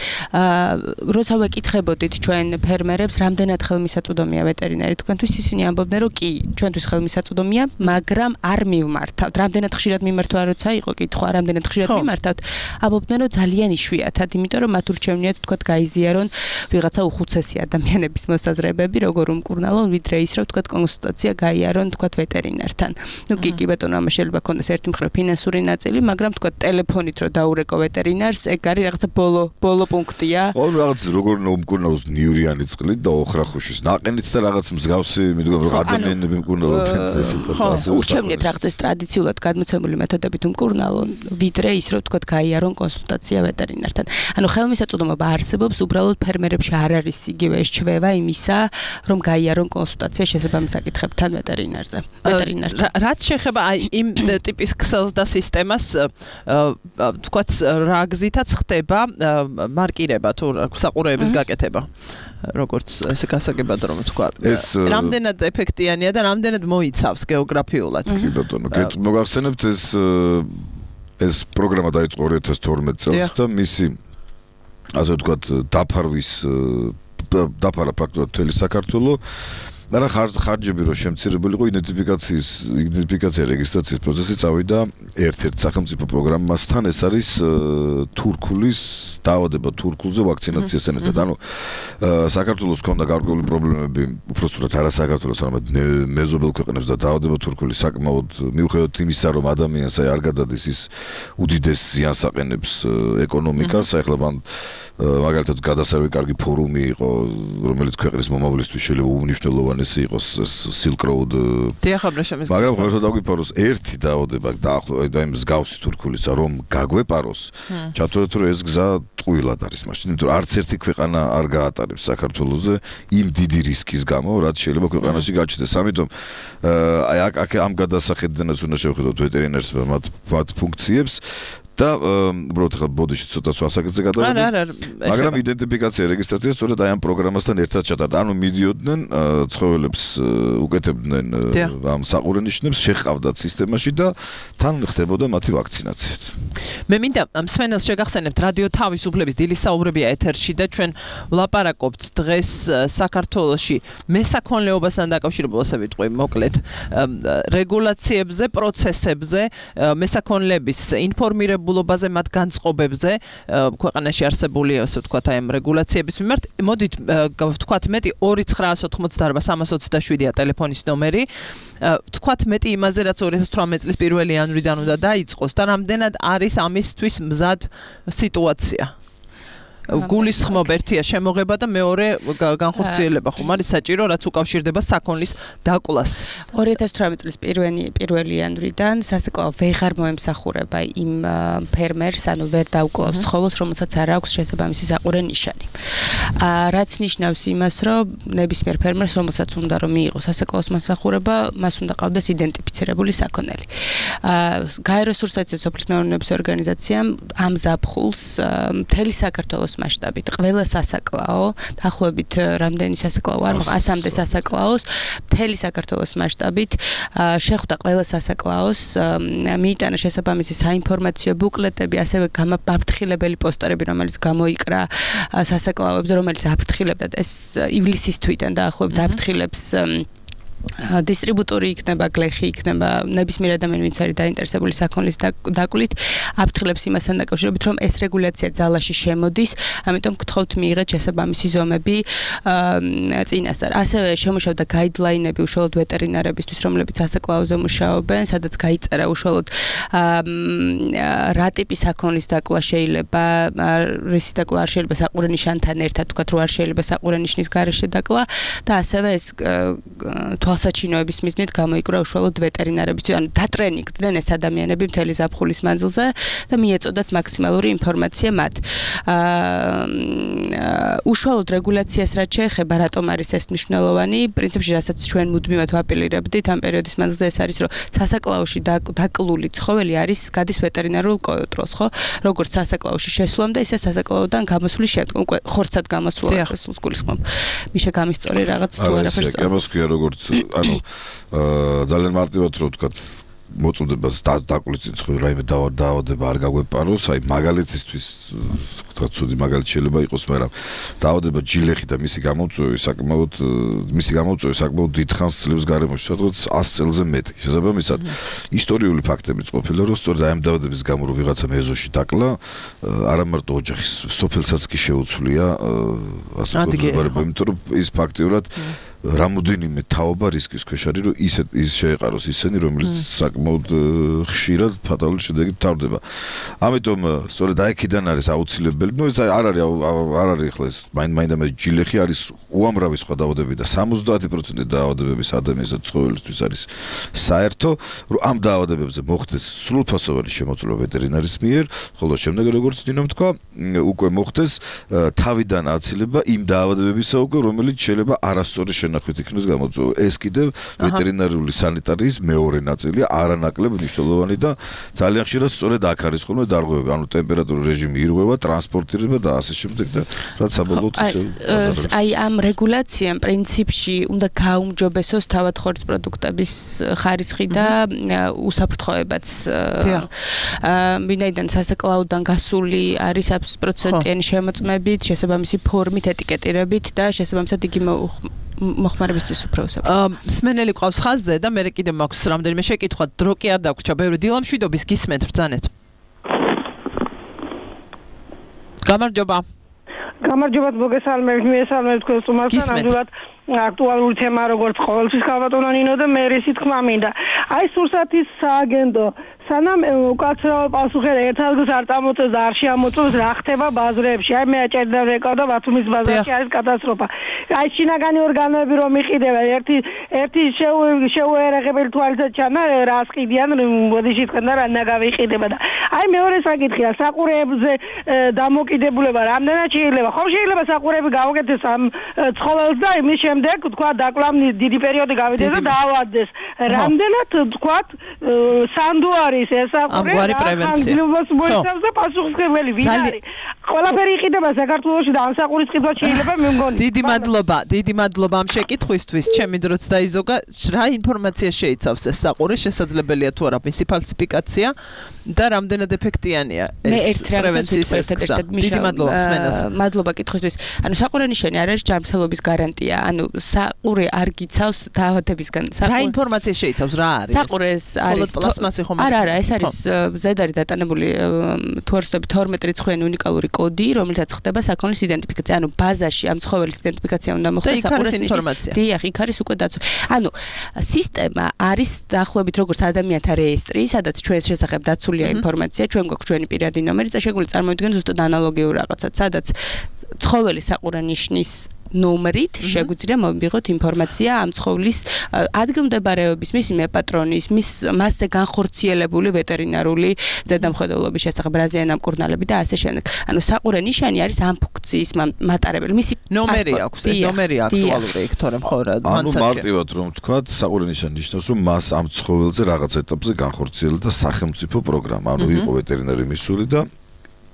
როცა ვეკითხებოდით ჩვენ ფერმერებს, რამდენად ხელმისაწვდომია ვეტერინარი, თქვენთვის ისინი ამბობდნენ, რომ კი, ჩვენთვის ხელმისაწვდომია, მაგრამ არ მივმართავთ. რამდენად ხშირად მიმართვა როცა იყო კითხვა, რამდენად ხშირად მიმართავთ, ამბობდნენ, რომ ძალიან იშვიათად, იმიტომ რომ მათ ურჩევნიათ თქვათ გაიზიარონ ვიღაცა უხუცესი ადამიანების მოსაზრებები, როგორ კურნალონ ვიდრე ის რომ თქვათ კონსულტაცია გაიარონ თქვათ ვეტერინართან. ნუ კი კი ბატონო, ამას შეიძლება ქონდეს ერთი მხრივ ფინანსური ნაწილი, მაგრამ თქვათ ტელეფონით რომ დაურეკო ვეტერინარს, ეგ არის რაღაცა ბოლო ბოლო პუნქტია. ო რაღაც როგორ მომკურნალოს ნიურიანი წყლით და ოხრახუშის ნაყენით და რაღაც მსგავსი მიდგომ რომ ადამიანები მკურნალობენ ეს სიტუაცია. ურჩევნიათ რაღაც ეს ტრადიციულად გადმოცემული მეთოდებით უმკურნალონ, ვიდრე ის რომ თქვათ გაიარონ კონსულტაცია ვეტერინართან. ანუ ხელმისაწვდომობა არსებობს, უბრალოდ ფერმერებში არ არის იგივე ეს ჩვევა იმისა, რომ გაიარონ კონსულტაცია შესაბამის საკითხებთან ვეტერინარზე. ვეტერინართან. რაც შეეხება აი იმ ტიპის ქსელს და სისტემას, თქვათ რა გზითაც ხდება მარკირება თუ საყურეების გაკეთება. როგორც ესე გასაგებად რომ თქვა. რამდენად ეფექტიანია და რამდენად მოიცავს გეოგრაფიულად. კი ბატონო, მოგახსენებთ ეს ეს პროგრამა დაიწყო ორი ათას თორმეტ წელს და მისი ასე ვთქვათ დაფარვის დაფარა ფაქტობრივად მთელი საქართველო და ხარჯები რომ შემცირებულიყო იდენტიფიკაციის იდენტიფიკაცია რეგისტრაციის პროცესი წავიდა ერთ-ერთ სახელმწიფო პროგრამასთან, ეს არის თურქულის დაავადება თურქულზე ვაქცინაციას ენერგეთ. ანუ საქართველოს ჰქონდა გარკვეული პრობლემები, უბრალოდ არა საქართველოს, არამედ მეზობელ ქვეყნებს და დაავადება თურქული საკმაოდ მიუხედავად იმისა, რომ ადამიანს აი არ გადადის ის უდიდეს ზიანს აყენებს ეკონომიკას, ახლა მან მაგალითად გადასარევი კარგი ფორუმი იყო, რომელიც ქვეყნის მომავლისთვის შეიძლება უნიშნელოვანესი იყოს ეს Silk Road. დიახაბლა შემის. მაგრამ ღირსად დაგვიფაროს ერთი დაავადება დაახლოებით და იმ მსგავსი თურქულისა რომ გაგვეპაროს, ჩათვლით რომ ეს გზა ტყუილად არის მაშინ, იმიტომ რომ არც ერთი ქვეყანა არ გაატარებს საქართველოზე იმ დიდი რისკის გამო, რაც შეიძლება ქვეყანაში გაჩნდეს. ამიტომ აი აქ ამ გადასახედიდანაც უნდა შევხედოთ ვეტერინარს მათ მათ ფუნქციებს. და უბრალოდ ხა ბოდიში ცოტა ასაკეთზე გადავედი. მაგრამ იდენტიფიკაცია რეგისტრაცია სწორედ აი ამ პროგრამასთან ერთად ჩატარდა. ანუ მიდიოდნენ ცხოველებს უკეთებდნენ ამ საყურენიშნებს, შეჰყავდათ სისტემაში და თან ხდებოდა მათი ვაქცინაციაც. მე მინდა მსმენელს შეგახსენებთ რადიო თავისუფლების დილის საუბრებია ეთერში და ჩვენ ვლაპარაკობთ დღეს საქართველოში მესაქონლეობასთან დაკავშირებულ ასე ვიტყვი მოკლედ რეგულაციებზე, პროცესებზე, მესაქონლეების ინფორმირებულობაზე, მათ განწყობებზე ქვეყანაში არსებული ასე ვთქვათ აი ამ რეგულაციების მიმართ. მოდით ვთქვათ მეტი ორი ცხრაას ოთხმოცდაარბა სამას ოცდაშვიდია ტელეფონის ნომერი. ვთქვათ მეტი იმაზე რაც ორი ათას თვრამეტი წლის პირველი იანვრიდან უნდა დაიწყოს და რამდენად არის ამისთვის მზად სიტუაცია. გულისხმობ ერთია შემოღება და მეორე განხორციელება ხომ არის საჭირო რაც უკავშირდება საქონლის დაკვლას. ორი ათას თვრამეტი წლის პირველი პირველი იანვრიდან სასაკლაო ვეღარ მოემსახურება იმ ფერმერს, ანუ ვერ დაუკლავს ცხოველს, რომელსაც არ აქვს შესაბამისი საყურე ნიშანი. რაც ნიშნავს იმას, რომ ნებისმიერ ფერმერს, რომელსაც უნდა რომ მიიღოს სასაკლაოს მოსახურება, მას უნდა ყავდეს იდენტიფიცირებული საქონელი. გაერო სურსათის სოფლის მეურნეობის ორგანიზაციამ ამ ზაფხულს მთელი საქართველოს მასშტაბით ყველა სასაკლაო, დაახლოებით რამდენი სასაკლაო არ მოხდა ასამდე სასაკლაოს, მთელი საქართველოს მასშტაბით შეხვდა ყველა სასაკლაოს, მიიტანა შესაბამისი საინფორმაციო ბუკლეტები, ასევე გამაფრთხილებელი პოსტერები, რომელიც გამოიკრა სასაკლაოებზე, რომელიც აფრთხილებდა ეს ივლისის თვიდან დაახლოებით აფრთხილებს დისტრიბუტორი იქნება, გლეხი იქნება, ნებისმიერ ადამიანი, ვინც არის დაინტერესებული საქონლის დაკვლით, აფრთხილებს იმასთან დაკავშირებით, რომ ეს რეგულაცია ძალაში შემოდის, ამიტომ გთხოვთ მიიღეთ შესაბამისი ზომები წინასწარ. ასევე შემუშავდა გაიდლაინები უშუალოდ ვეტერინარებისთვის, რომლებიც სასაკლაოზე მუშაობენ, სადაც გაიწერა უშუალოდ რა ტიპის საქონლის დაკლა შეიძლება, რისი დაკლა არ შეიძლება საყურე ნიშანთან ერთად, თქვათ რომ არ შეიძლება საყურე ნიშნის გარეშე დაკლა და ასევე ეს თვალსაჩინოების მიზნით გამოიკრა უშუალოდ ვეტერინარებისთვის, ანუ დატრენინგდნენ ეს ადამიანები მთელი ზაფხულის მანძილზე და მიეწოდათ მაქსიმალური ინფორმაცია მათ. უშუალოდ რეგულაციას რაც შეეხება, რატომ არის ეს მნიშვნელოვანი, პრინციპში რასაც ჩვენ მუდმივად ვაპილირებდით ამ პერიოდის მანძილზე ეს არის, რომ სასაკლაოში დაკლული ცხოველი არის გადის ვეტერინარულ კონტროლს, ხო? როგორც სასაკლაოში შესვლამდე, ისე სასაკლაოდან გამოსვლის შემდგომ, უკვე ხორცად გამოსვლა ეს გულისხმობ. მიშა გამისწორი რაღაც თუ არაფერს. ეს გამოსქვია როგორც ანუ ძალიან მარტივად რო ვთქვა მოწოდებას დაკვლით ცხოველი რაიმე დაავადება არ გაგვეპაროს, აი მაგალითისთვის ვთქვა ცუდი მაგალითი შეიძლება იყოს, მაგრამ დაავადება ჯილეხი და მისი გამოწვევა საკმაოდ მისი გამოწვევა საკმაოდ დიდხანს წლებს გარემოში, სადღაც ას წელზე მეტი. შესაბამისად, ისტორიული ფაქტებიც ყოფილა, რომ სწორედ აი ამ დაავადების გამო რომ ვიღაცა მეზოში დაკლა, არა მარტო ოჯახის სოფელსაც კი შეუცვლია ასე ვთქვა, იმიტომ რომ ის ფაქტიურად რამოდენიმე თაობა რისკის ქვეშ არის, რომ ისე ის შეეყაროს ისინი, რომელიც საკმაოდ ხშირად ფატალური შედეგით მთავრდება. ამიტომ სწორედ აიქიდან არის აუცილებელი, ნუ ეს არ არის არ არის ახლა ეს მაინდა მე ჯილეხი არის უამრავი სხვა დაავადებები და სამოცდაათი პროცენტი დაავადებების ადამიანის და ცხოველისთვის არის საერთო, რომ ამ დაავადებებზე მოხდეს სრულფასოვანი შემოწმება ვეტერინარის მიერ, ხოლო შემდეგ როგორც დინომ თქვა, უკვე მოხდეს თავიდან აცილება იმ დაავადებებისა უკვე, რომელიც შეიძლება არასწორი ნახვით იქნეს გამოწვევა. ეს კიდევ ვეტერინარული სანიტარიის მეორე ნაწილია, არანაკლებ მნიშვნელოვანი და ძალიან ხშირად სწორედ აქ არის ხოლმე დარღვევები, ანუ ტემპერატურის რეჟიმი ირღვევა, ტრანსპორტირება და ასე შემდეგ და რაც საბოლოოდ აი ამ რეგულაციამ პრინციპში უნდა გაუმჯობესოს თავად ხორცს პროდუქტების ხარისხი და უსაფრთხოებაც. ვინაიდან სასაკლაოდან გასული არის ათი პროცენტიანი შემოწმებით, შესაბამისი ფორმით, ეტიკეტირებით და შესაბამისად იგი მოხმარებისთვის უფროსებს. სმენელი ყავს ხაზზე და მე კიდე მაქვს რამდენიმე შეკითხვა, დრო კი არ დაგვრჩა, ბევრი დილამშვიდობის გისმენთ ბრძანეთ. გამარჯობა. გამარჯობა, მოგესალმებით, მიესალმებით თქვენ სტუმართან, ნამდვილად აქტუალური თემა როგორც ყოველთვის ქალბატონო ნინო და მე რისი თქმა მინდა. აი სურსათის სააგენტო სანამ უკაცრავ პასუხი ერთადღაც არ წამოწევს და არ შეამოწევს რა ხდება ბაზრებში. აი მე აჭერდა რეკავ და ბათუმის ბაზარში არის კატასტროფა. აი შინაგანი ორგანოები რომ იყიდება ერთი ერთი შეუერაღებელი თვალისად ჩანა რას ყიდიან ბოდიში თქვენ და რა ნაგავიყიდება და აი მეორე საკითხია საყურეებზე დამოკიდებულება რამდენად შეიძლება ხომ შეიძლება საყურები გავაკეთდეს ამ ცხოველს და იმის შემდეგ თქვა დაკლამ დიდი პერიოდი გავიდეს და დაავადდეს. რამდენად თქვა სანდო არის არის ეს ამგვარი პრევენცია. მოიცავს და პასუხისმგებელი ვინ არის? ყველაფერი იყიდება საქართველოში და ამ საყურის ყიდვა შეიძლება მე მგონი. დიდი მადლობა, დიდი მადლობა ამ შეკითხვისთვის. ჩემი დროც დაიზოგა, რა ინფორმაცია შეიცავს ეს საყური, შესაძლებელია თუ არა მისი ფალსიფიკაცია და რამდენად ეფექტიანია ეს პრევენციის ერთადერთად დიდი მადლობა მსმენელს. მადლობა კითხვისთვის. ანუ საყურენიშანი არ არის ჯანმრთელობის გარანტია. ანუ საყური არ გიცავს დაავადებისგან. რა ინფორმაცია შეიცავს, რა არის? საყურეს არის პლასმასი ხომ? არა, არა, ეს არის ზედარი დატანებული თუ არ ვსწრებით თორმეტ რიცხვიანი უნიკალური კოდი, რომელთაც ხდება საქონლის იდენტიფიკაცია. ანუ ბაზაში ამ ცხოველის იდენტიფიკაცია უნდა მოხდეს საყურეს ინფორმაცია. დიახ, იქ არის უკვე დაცვა. ანუ სისტემა არის დაახლოებით როგორც ადამიანთა რეესტრი, სადაც ჩვენს შესახებ დაცულია ინფორმაცია, ჩვენ გვაქვს ჩვენი პირადი ნომერი, წაშეგული წარმოვიდგენ ზუსტად ანალოგიურ რაღაცად, სადაც ცხოველი საყურენიშნის ნომრით შეგვიძლია მოვიღოთ ინფორმაცია ამ ცხოვლის ადგილმდებარეობის, მისი მეპატრონის, მის მასზე განხორციელებული ვეტერინარული ზედამხედველობის შესახებ, რაზეა მკურნალები და ასე შემდეგ. ანუ საყურენიშანი არის ამ ფუნქციის მატარებელი. მისი ნომერი აქვს, ეს ნომერი აქტუალური იქ თორემ ხო რა ანუ მარტივად რომ ვთქვათ, საყურენიშანი ნიშნავს, რომ მას ამ ცხოველზე რაღაც ეტაპზე განხორციელდა სახელმწიფო პროგრამა, ანუ იყო ვეტერინარი მისული და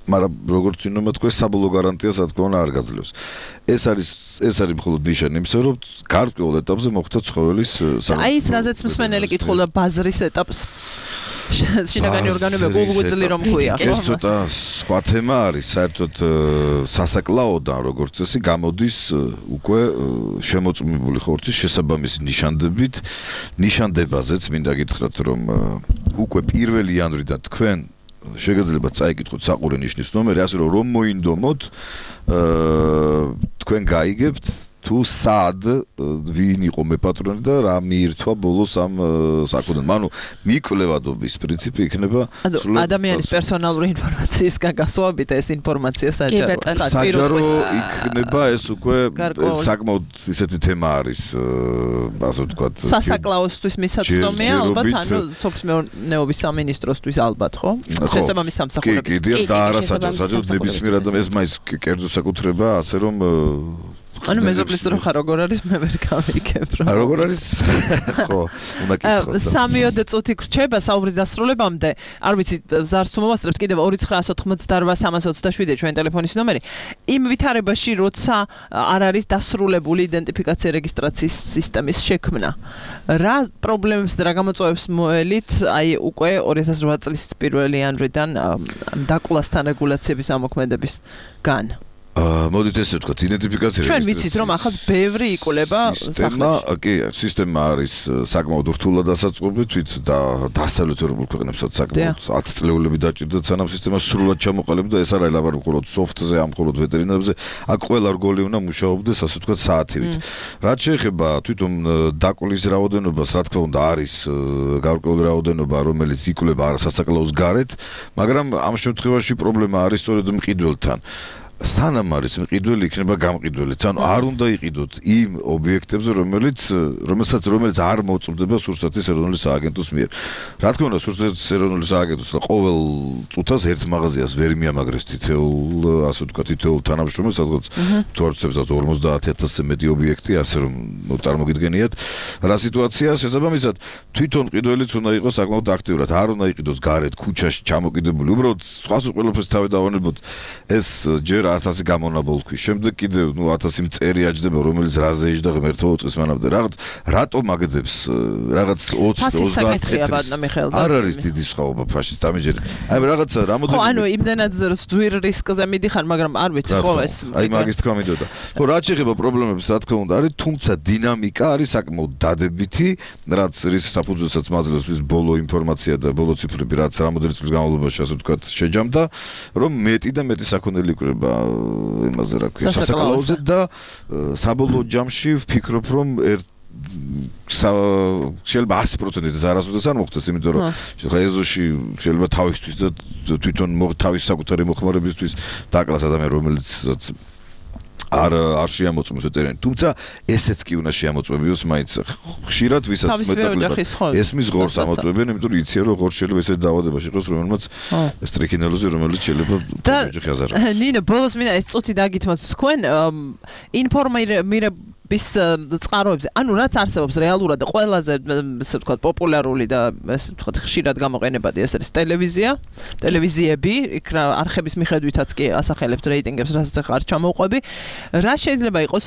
მაგრამ როგორც ვინმე თქვა საბოლოო გარანტიას რა თქმა უნდა არ გაძლევს. ეს არის ეს არის მხოლოდ ნიშანი იმისა, რომ გარკვეულ ეტაპზე მოხდა ცხოველის აი ეს რაზეც მსმენელი კითხულობდა ბაზრის ეტაპს. შინაგანი ორგანოები გულგვიძლი რომ ქვია, ხო? ეს ცოტა სხვა თემა არის, საერთოდ სასაკლაოდან როგორც წესი გამოდის უკვე შემოწმებული ხორცის შესაბამისი ნიშანდებით, ნიშანდებაზეც მინდა გითხრათ, რომ უკვე პირველი იანვრიდან თქვენ შეგიძლიათ წაიკითხოთ საყურენიშნის ნომერი, ასე რომ რომ მოინდომოთ, თქვენ გაიგებთ თუ სად ვინ იყო მეპატრონი და რა მიირთვა ბოლოს ამ საკუთრებად. ანუ მიკვლევადობის პრინციპი იქნება სრულად ადამიანის პერსონალური ინფორმაციისგან გასვავებით ეს ინფორმაცია საჯარო. საჯარო იქნება ეს უკვე საკმაოდ ისეთი თემა არის, ასე ვთქვათ. სასაკლაოსთვის მისაწვდომია ალბათ, ანუ სოფლის სამინისტროსთვის ალბათ, ხო? შესაბამის სამსახურების. კი, კი, და არასაჯარო, საჯარო ნებისმიერ ადამიანს ეს მაინც კერძო საკუთრება, ასე რომ ანუ მეზობლის დრო ხარ როგორ არის მე ვერ გავიგებ რა. როგორ არის? ხო, უნდა გითხოთ. სამიოდე წუთი გრჩება საუბრის დასრულებამდე. არ ვიცი, ზარს თუ მოვასწრებთ კიდევ ორი ცხრა ოცდაოთხმოცდაოთხ სამას ოცდაშვიდი ჩვენ ტელეფონის ნომერი. იმ ვითარებაში, როცა არ არის დასრულებული იდენტიფიკაცია რეგისტრაციის სისტემის შექმნა. რა პრობლემებს და რა გამოწვევებს მოელით, აი უკვე ორი ათას რვა წლის პირველი იანვრიდან დაკვლასთან რეგულაციების ამოქმედებისგან. მოდით ესე ვთქვათ, იდენტიფიკაცია ჩვენ ვიცით რომ ახლა ბევრი იკვლება სისტემა, კი, სისტემა არის საკმაოდ რთულად დასაწყობი და დასავლეთ ევროპულ ქვეყნებსაც საკმაოდ ათი წლეულები დაჭირდათ სანამ სისტემა სრულად ჩამოყალიბდა. ეს არ არის ლაპარაკი მხოლოდ სოფტზე, ამ მხოლოდ ვეტერინარებზე, აქ ყველა რგოლი უნდა მუშაობდეს, ასე ვთქვათ, საათივით. რაც შეეხება თვითონ დაკვლის რაოდენობას, რა თქმა უნდა, არის გარკვეული რაოდენობა, რომელიც იკვლება სასაკლაოს გარეთ, მაგრამ ამ შემთხვევაში პრობლემა არის სწორედ მყიდველთან. სანამ არის მყიდველი იქნება გამყიდველიც. ანუ არ უნდა იყიდოთ იმ ობიექტებზე, რომელიც რომელსაც რომელიც არ მოწმდება სურსათის ეროვნული სააგენტოს მიერ. რა თქმა უნდა, სურსათის ეროვნული სააგენტოს ყოველ წუთას ერთ მაღაზიას ვერ მიამაგრეს თითოეულ, ასე ვთქვათ, თითოეულ თანამშრომელს, სადღაც თუ არ ვცდილობთ ორმოცდაათი ათასზე მეტი ობიექტი, ასე რომ წარმოგიდგენიათ რა სიტუაციაა. შესაბამისად, თვითონ მყიდველიც უნდა იყოს საკმაოდ აქტიურად, არ უნდა იყიდოს გარეთ ქუჩაში ჩამოკიდებული. უბრალოდ სხვას ყველაფერს თავი დავანებოთ. ეს ჯერ ათასი გამონაბოლქვის. შემდეგ კიდევ ნუ ათასი მწერი აჯდება, რომელიც რაზე იჯდა ღმერთო წლის მანამდე. რაღაც რატომ აგდებს რაღაც ოცი ოცდაათი წელი. არ არის დიდი სხვაობა ფაშისტ ამიჯერ. აი რაღაცა რამოდენიმე. ხო, ანუ იმდენად ძვირ რისკზე მიდიხარ, მაგრამ არ ვიცი ხო ეს. აი მაგის თქვა მინდოდა. ხო, რაც შეეხება პრობლემებს, რა თქმა უნდა, არის, თუმცა დინამიკა არის საკმაოდ დადებითი, რაც რის საფუძველსაც მაძლევს ვის ბოლო ინფორმაცია და ბოლო ციფრები, რაც რამოდენი წლის განმავლობაში, ასე ვთქვათ, შეჯამდა, რომ მეტი და მეტი საქონელი იყრება იმაზე რა ქვია სასაკლაოზე და საბოლოო ჯამში ვფიქრობ რომ შეიძლება ათი პროცენტით არასოდეს არ მოხდეს, იმიტომ რომ შეიძლება ეზოში შეიძლება თავისთვის და თვითონ თავის საკუთარი მოხმარებისთვის დაკლას ადამიანი რომელიც არ არ შეამოწმოს ვეტერინარი. თუმცა ესეც კი უნდა შეამოწმებიოს მაინც ხშირად ვისაც მეტად ესმის ღორს ამოწმებენ, იმიტომ რომ იციან რომ ღორს შეიძლება ესეთ დაავადებაში იყოს, რომელმაც სტრიქინელოზი, რომელიც შეიძლება ოჯახი აზაროს. ნინო, ბოლოს მინდა ეს წუთი დაგითმოთ თქვენ ინფორმირ ტიპის წყაროებზე. ანუ რაც არსებობს რეალურად და ყველაზე ესე ვთქვათ პოპულარული და ესე ვთქვათ ხშირად გამოყენებადი ეს არის ტელევიზია, ტელევიზიები, იქ რა არხების მიხედვითაც კი ასახელებთ რეიტინგებს, რასაც ახლა არ ჩამოვყვები. რა შეიძლება იყოს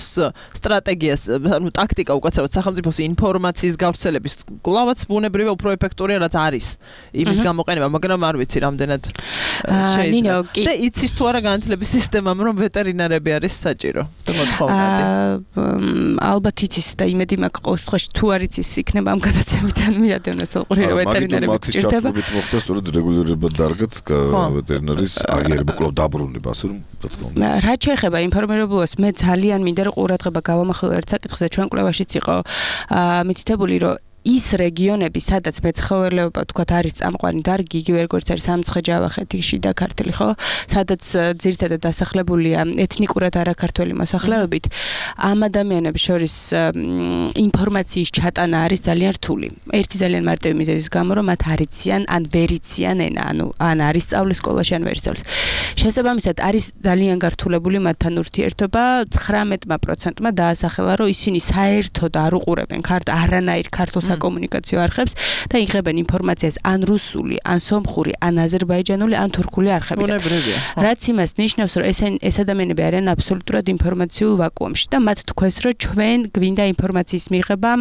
სტრატეგიას, ანუ ტაქტიკა უკაცრავად სახელმწიფოს ინფორმაციის გავრცელების კლავაც ბუნებრივია უფრო ეფექტურია რაც არის იმის გამოყენება, მაგრამ არ ვიცი რამდენად შეიძლება. და იცის თუ არა განათლების სისტემამ რომ ვეტერინარები არის საჭირო. და მოთხოვნადი. ალბათ იცის და იმედი მაქვს ყოველ შემთხვევაში თუ არ იცის იქნება ამ გადაცემიდან მიადევნოს თორყურირო ვეტერინარები გჭირდება. მაგით მოხდა სწორედ რეგულირება დარგად ვეტერინარის აღიარება კვლავ დაბრუნება ასე რომ რა თქმა უნდა. რა შეეხება ინფორმირებულობას მე ძალიან მინდა რომ ყურადღება გავამახვილო ერთ საკითხზე ჩვენ კვლევაშიც იყო მითითებული რომ ის რეგიონები, სადაც მეცხოველეობა თქვათ არის წამყვანი დარგი, იგივე როგორც არის სამცხე-ჯავახეთი, შიდა ქართლი, ხო? სადაც ძირითადად დასახლებულია ეთნიკურად არაქართველი მოსახლეობით, ამ ადამიანებს შორის ინფორმაციის ჩატანა არის ძალიან რთული. ერთი ძალიან მარტივი მიზეზის გამო, რომ მათ არ იციან, ან ვერ იციან ენა, ანუ ან არის სწავლის სკოლაში, ან ვერ სწავლის. შესაბამისად, არის ძალიან გართულებული მათთან ურთიერთობა, ცხრამეტ პროცენტმა დაასახელა, რომ ისინი საერთოდ არ უყურებენ ქართ არანაირ ქართულ საკომუნიკაციო არხებს და იღებენ ინფორმაციას ან რუსული, ან სომხური, ან აზერბაიჯანული, ან თურქული არხებიდან. რაც იმას ნიშნავს, რომ ეს ეს ადამიანები არიან აბსოლუტურად ინფორმაციულ ვაკუუმში და მათ თქვეს, რომ ჩვენ გვინდა ინფორმაციის მიღება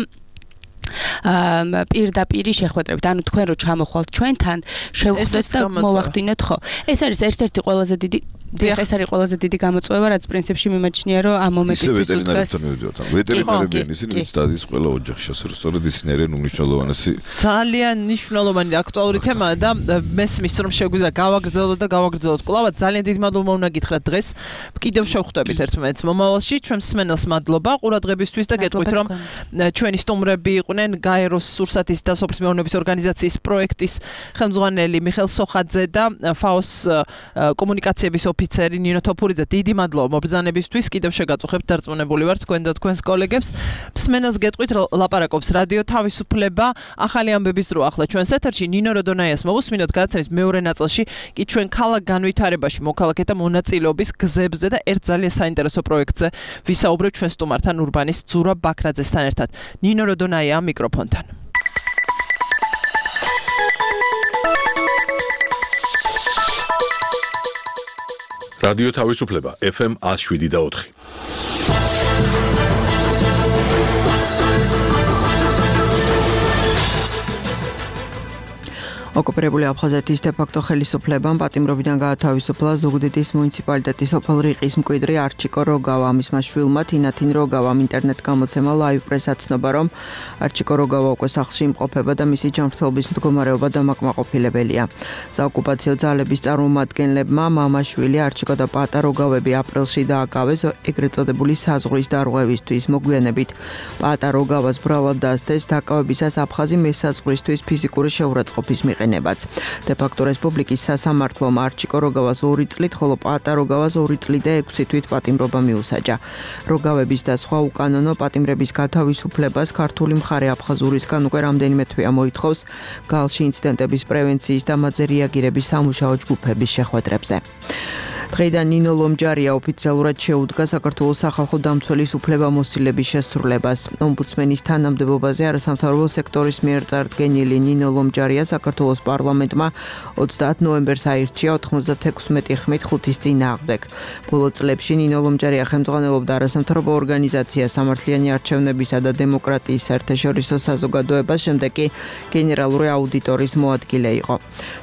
პირდაპირი შეხვედრებით. ანუ თქვენ რო ჩამოხვალთ ჩვენთან, შევხვდეთ და მოვახდინოთ, ხო? ეს არის ერთ-ერთი ყველაზე დიდი დიახ, ეს არის ყველაზე დიდი გამოწვევა, რაც პრინციპში მიმაჩნია, რომ ამ მომენტისთვის უდგას ვეტერინარები ისინი ვინც დადის ყველა ოჯახში, ასე რომ სწორედ ისინი არიან უმნიშვნელოვანესი. ძალიან მნიშვნელოვანი და აქტუალური თემაა და მესმის რომ შეგვიძლია გავაგრძელოთ და გავაგრძელოთ კლავად. ძალიან დიდი მადლობა უნდა გითხრათ დღეს. კიდევ შევხვდებით ერთმანეთს მომავალში. ჩვენ მსმენელს მადლობა ყურადღებისთვის და გეტყვით რომ ჩვენი სტუმრები იყვნენ გაეროს სურსათის და სოფლის მეურნეობის ორგანიზაციის პროექტის ხელმძღვანელი მიხეილ სოხაძე და ფაოს კომუნიკაციების ოფიცერი ნინო თოფურიძე. დიდი მადლობა მობრძანებისთვის. კიდევ შეგაწუხებთ, დარწმუნებული ვარ თქვენ და თქვენს კოლეგებს. მსმენელს გეტყვით ლაპარაკობს რადიო თავისუფლება. ახალი ამბების დრო ახლა ჩვენს ეთერში ნინო როდონაიას მოვუსმინოთ გადაცემის მეორე ნაწილში კი ჩვენ ქალაქ განვითარებაში მოქალაქეთა მონაწილეობის გზებზე და ერთ ძალიან საინტერესო პროექტზე ვისაუბრებთ ჩვენ სტუმართან ურბანის ძურა ბაქრაძესთან ერთად. ნინო როდონაია მიკროფონთან. რადიო თავისუფლება ეფ ემ one oh seven და four. ოკუპირებული აფხაზეთის დე-ფაქტო ხელისუფლებამ პატიმრობიდან გაათავისუფლა ზუგდიდის მუნიციპალიტეტის სოფელ რიყის მკვიდრი არჩიკო როგავა. მისმა შვილმა თინათინ როგავამ ინტერნეტ გამოცემა ლაივ პრესად ცნობა, რომ არჩიკო როგავა უკვე სახლში იმყოფება და მისი ჯანმრთელობის მდგომარეობა დამაკმაყოფილებელია. საოკუპაციო ძალების წარმომადგენლებმა მამაშვილი არჩიკო და პატა როგავები აპრილში დააკავეს ეგრეთ წოდებული საზღვრის დარღვევისთვის. მოგვიანებით პატა როგავას ბრალად დასდეს დაკავებისას აფხაზი მესაზღვრისთვის ფიზიკური შეურაცხყოფის მიღება. დე-ფაქტო რესპუბლიკის სასამართლომ არჩიკო როგავას ორი წლით, ხოლო პატა როგავას ორი წლით და ექვსი თვით პატიმრობა მიუსაჯა. როგავების და სხვა უკანონო პატიმრების გათავისუფლებას ქართული მხარე აფხაზურისგან უკვე რამდენიმე თვეა მოითხოვს გალში ინციდენტების პრევენციის და მათზე რეაგირების სამუშაო ჯგუფების შეხვედრებზე. დღეიდან ნინო ლომჯარია ოფიციალურად შეუდგა საქართველოს სახალხო დამცველის უფლებამოსილების შესრულებას. ომბუდსმენის თანამდებობაზე არასამთავრობო სექტორის მიერ წარდგენილი ნინო ლომჯარია საქართველოს პარლამენტმა ოცდაათ ნოემბერს აირჩია ოთხმოცდათექვსმეტი ხმით ხუთის წინააღმდეგ. ბოლო წლებში ნინო ლომჯარია ხელმძღვანელობდა არასამთავრობო ორგანიზაცია სამართლიანი არჩევნებისა და დემოკრატიის საერთაშორისო საზოგადოებას, შემდეგ კი გენერალური აუდიტორის მოადგილე იყო.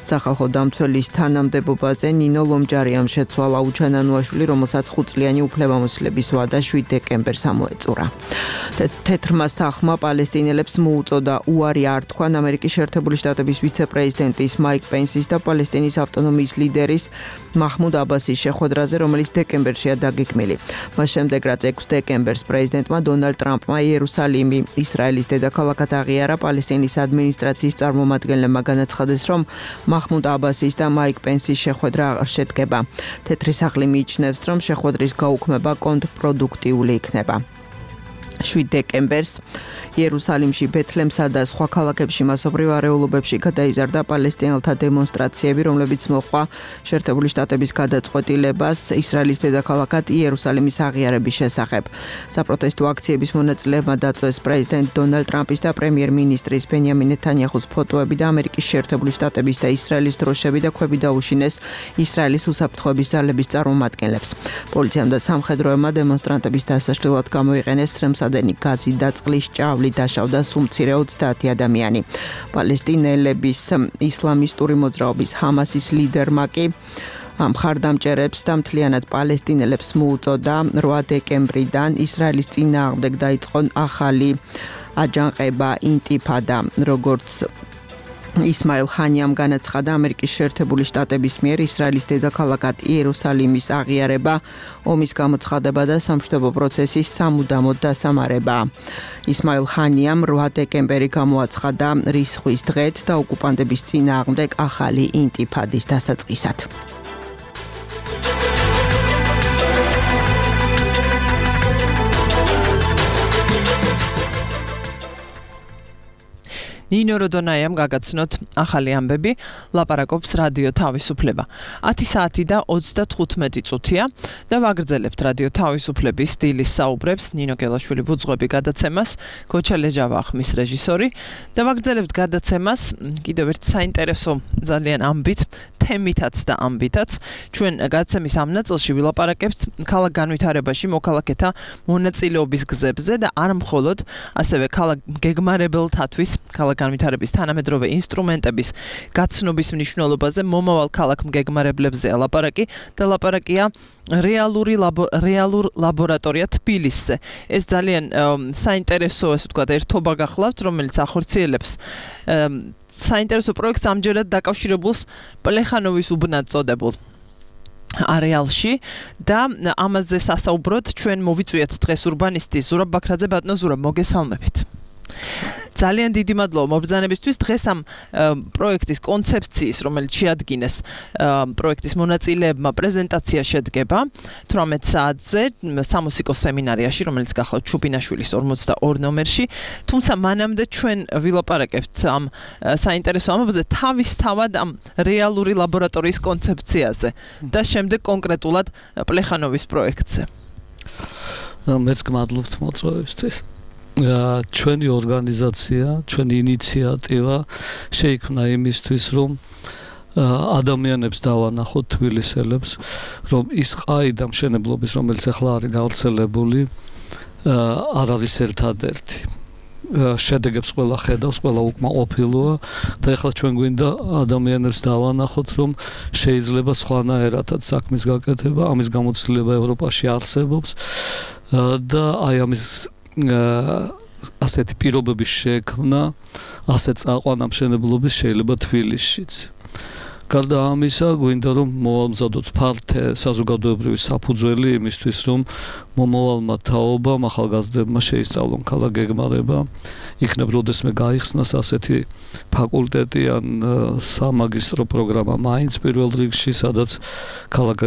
სახალხო დამცველის თანამდებობაზე ნინო ლომჯარიამ შეცვალა ლაუჩანანუაშვილი, რომელსაც ხუთწლიანი უფლებამოსილების ვადა შვიდ დეკემბერს ამოეწურა. თეთრმა სახლმა პალესტინელებს მოუწოდა უარი არ თქვან ამერიკის შეერთებული შტატების ვიცე-პრეზიდენტის მაიკ პენსის და პალესტინის ავტონომიის ლიდერის მაჰმუდ აბასის შეხვედრაზე, რომელიც დეკემბერშია დაგეგმილი. მას შემდეგ, რაც ექვსი დეკემბერს პრეზიდენტმა დონალდ ტრამპმა იერუსალიმი ისრაელის დედაქალაქად აღიარა, პალესტინის ადმინისტრაციის წარმომადგენლებმა განაცხადეს, რომ მაჰმუდ აბასის და მაიკ პენსის შეხვედრა აღარ შედგება. თეთრი სახლი მიიჩნევს, რომ შეხვედრის გაუქმება კონტრპროდუქტიული იქნება. შვიდ დეკემბერს იერუსალიმში, ბეთლემსა და სხვა ქალაქებში მასობრივ არეულობებში გადაიზარდა პალესტინელთა დემონსტრაციები, რომლებიც მოჰყვა შეერთებული შტატების გადაწყვეტილებას ისრაელის დედაქალაქად იერუსალიმის აღიარების შესახებ. საპროტესტო აქციების მონაწილეებმა დაწვეს პრეზიდენტ დონალდ ტრამპის და პრემიერ-მინისტრის ბენიამინ ნეთანიაჰუს ფოტოები და ამერიკის შეერთებული შტატების და ისრაელის დროშები და ქვები დაუშინეს ისრაელის უსაფრთხოების ძალების წარმომადგენლებს. პოლიციამ და სამხედროებმა დემონსტრანტების დასაშლელად გამოიყენეს სრემსადენი გაზი და წყლის ჭავლი, დაშავდა სულ მცირე ოცდაათი ადამიანი. პალესტინელების ისლამისტური მოძრაობის ჰამასის ლიდერმა კი მხარდამჭერებს და მთლიანად პალესტინელებს მოუწოდა რვა დეკემბრიდან ისრაელის წინააღმდეგ დაიწყო ახალი აჯანყება ინტიფადა, როგორც ისმაილ ხანიამ განაცხადა, ამერიკის შეერთებული შტატების მიერ ისრაელის დედაქალაქად იერუსალიმის აღიარება ომის გამოცხადება და სამშვიდობო პროცესის სამუდამოდ დასამარება. ისმაილ ხანიამ რვა დეკემბერი გამოაცხადა რისხვის დღედ და ოკუპანტების წინააღმდეგ ახალი ინტიფადის დასაწყისად. ნინო როდონაიამ გაგაცნოთ ახალი ამბები, ლაპარაკობს რადიო თავისუფლება. ათი საათი და ოცდათხუთმეტი წუთია და ვაგრძელებთ რადიო თავისუფლების დილის საუბრებს, ნინო გელაშვილი ვუძღვები გადაცემას, გოჩა ლეჟავა ხმის რეჟისორი და ვაგრძელებთ გადაცემას კიდევ ერთ საინტერესო ძალიან ამბით, თემითაც და ამბითაც. ჩვენ გადაცემის ამ ნაწილში ვილაპარაკებთ ქალაქ განვითარებაში მოქალაქეთა მონაწილეობის გზებზე და არ მხოლოდ, ასევე ქალაქ გეგმარებელთათვის ქალაქ განვითარების თანამედროვე ინსტრუმენტების გაცნობის მნიშვნელობაზე, მომავალ ქალაქ მგეგმარებლებზე ლაპარაკი და ლაპარაკია რეალური ლაბო, რეალურ ლაბორატორია თბილისზე. ეს ძალიან საინტერესო, ასე ვთქვათ, ერთობა გახლავთ, რომელიც ახორციელებს საინტერესო პროექტს ამჯერად დაკავშირებულს პლეხანოვის უბნად წოდებულ არეალში და ამაზე სასაუბროდ ჩვენ მოვიწვიეთ დღეს ურბანისტი ზურაბ ბაქრაძე. ბატონო ზურაბ, მოგესალმებით. ძალიან დიდი მადლობა მობრძანებისთვის. დღეს ამ პროექტის კონცეფციის, რომელიც შეადგინეს პროექტის მონაწილეებმა, პრეზენტაცია შედგება თვრამეტ საათზე სამუსიკო სემინარიაში, რომელიც გახლავთ ჩუბინაშვილის ორმოცდაორი ნომერში. თუმცა მანამდე ჩვენ ვილაპარაკებთ ამ საინტერესო ამბებზე თავისთავად ამ რეალური ლაბორატორიის კონცეფციაზე და შემდეგ კონკრეტულად პლეხანოვის პროექტზე. მეც გმადლობთ მოწვევისთვის. ჩვენი ორგანიზაცია, ჩვენი ინიციატივა შეიქმნა იმისთვის, რომ ადამიანებს დავანახოთ, თბილისელებს, რომ ის ყაიდა მშენებლობის, რომელიც ახლა არის გავრცელებული, არ არის ერთადერთი. შედეგებს ყველა ხედავს, ყველა უკმაყოფილოა და ახლა ჩვენ გვინდა ადამიანებს დავანახოთ, რომ შეიძლება სხვანაირადაც საქმის გაკეთება, ამის გამოცდილება ევროპაში არსებობს და აი ამის ასეთი პირობების შექმნა, ასეთ წაყვანა მშენებლობის შეიძლება თბილისშიც. გარდა ამისა, გვინდა რომ მოვამზადოთ ფართე საზოგადოებრივი საფუძველი იმისთვის, რომ მომავალმა თაობამ, ახალგაზრდებმა შეისწავლონ ქალაქ გეგმარება, იქნებ როდესმე გაიხსნას ასეთი ფაკულტეტი ან სამაგისტრო პროგრამა მაინც პირველ რიგში, სადაც ქალაქ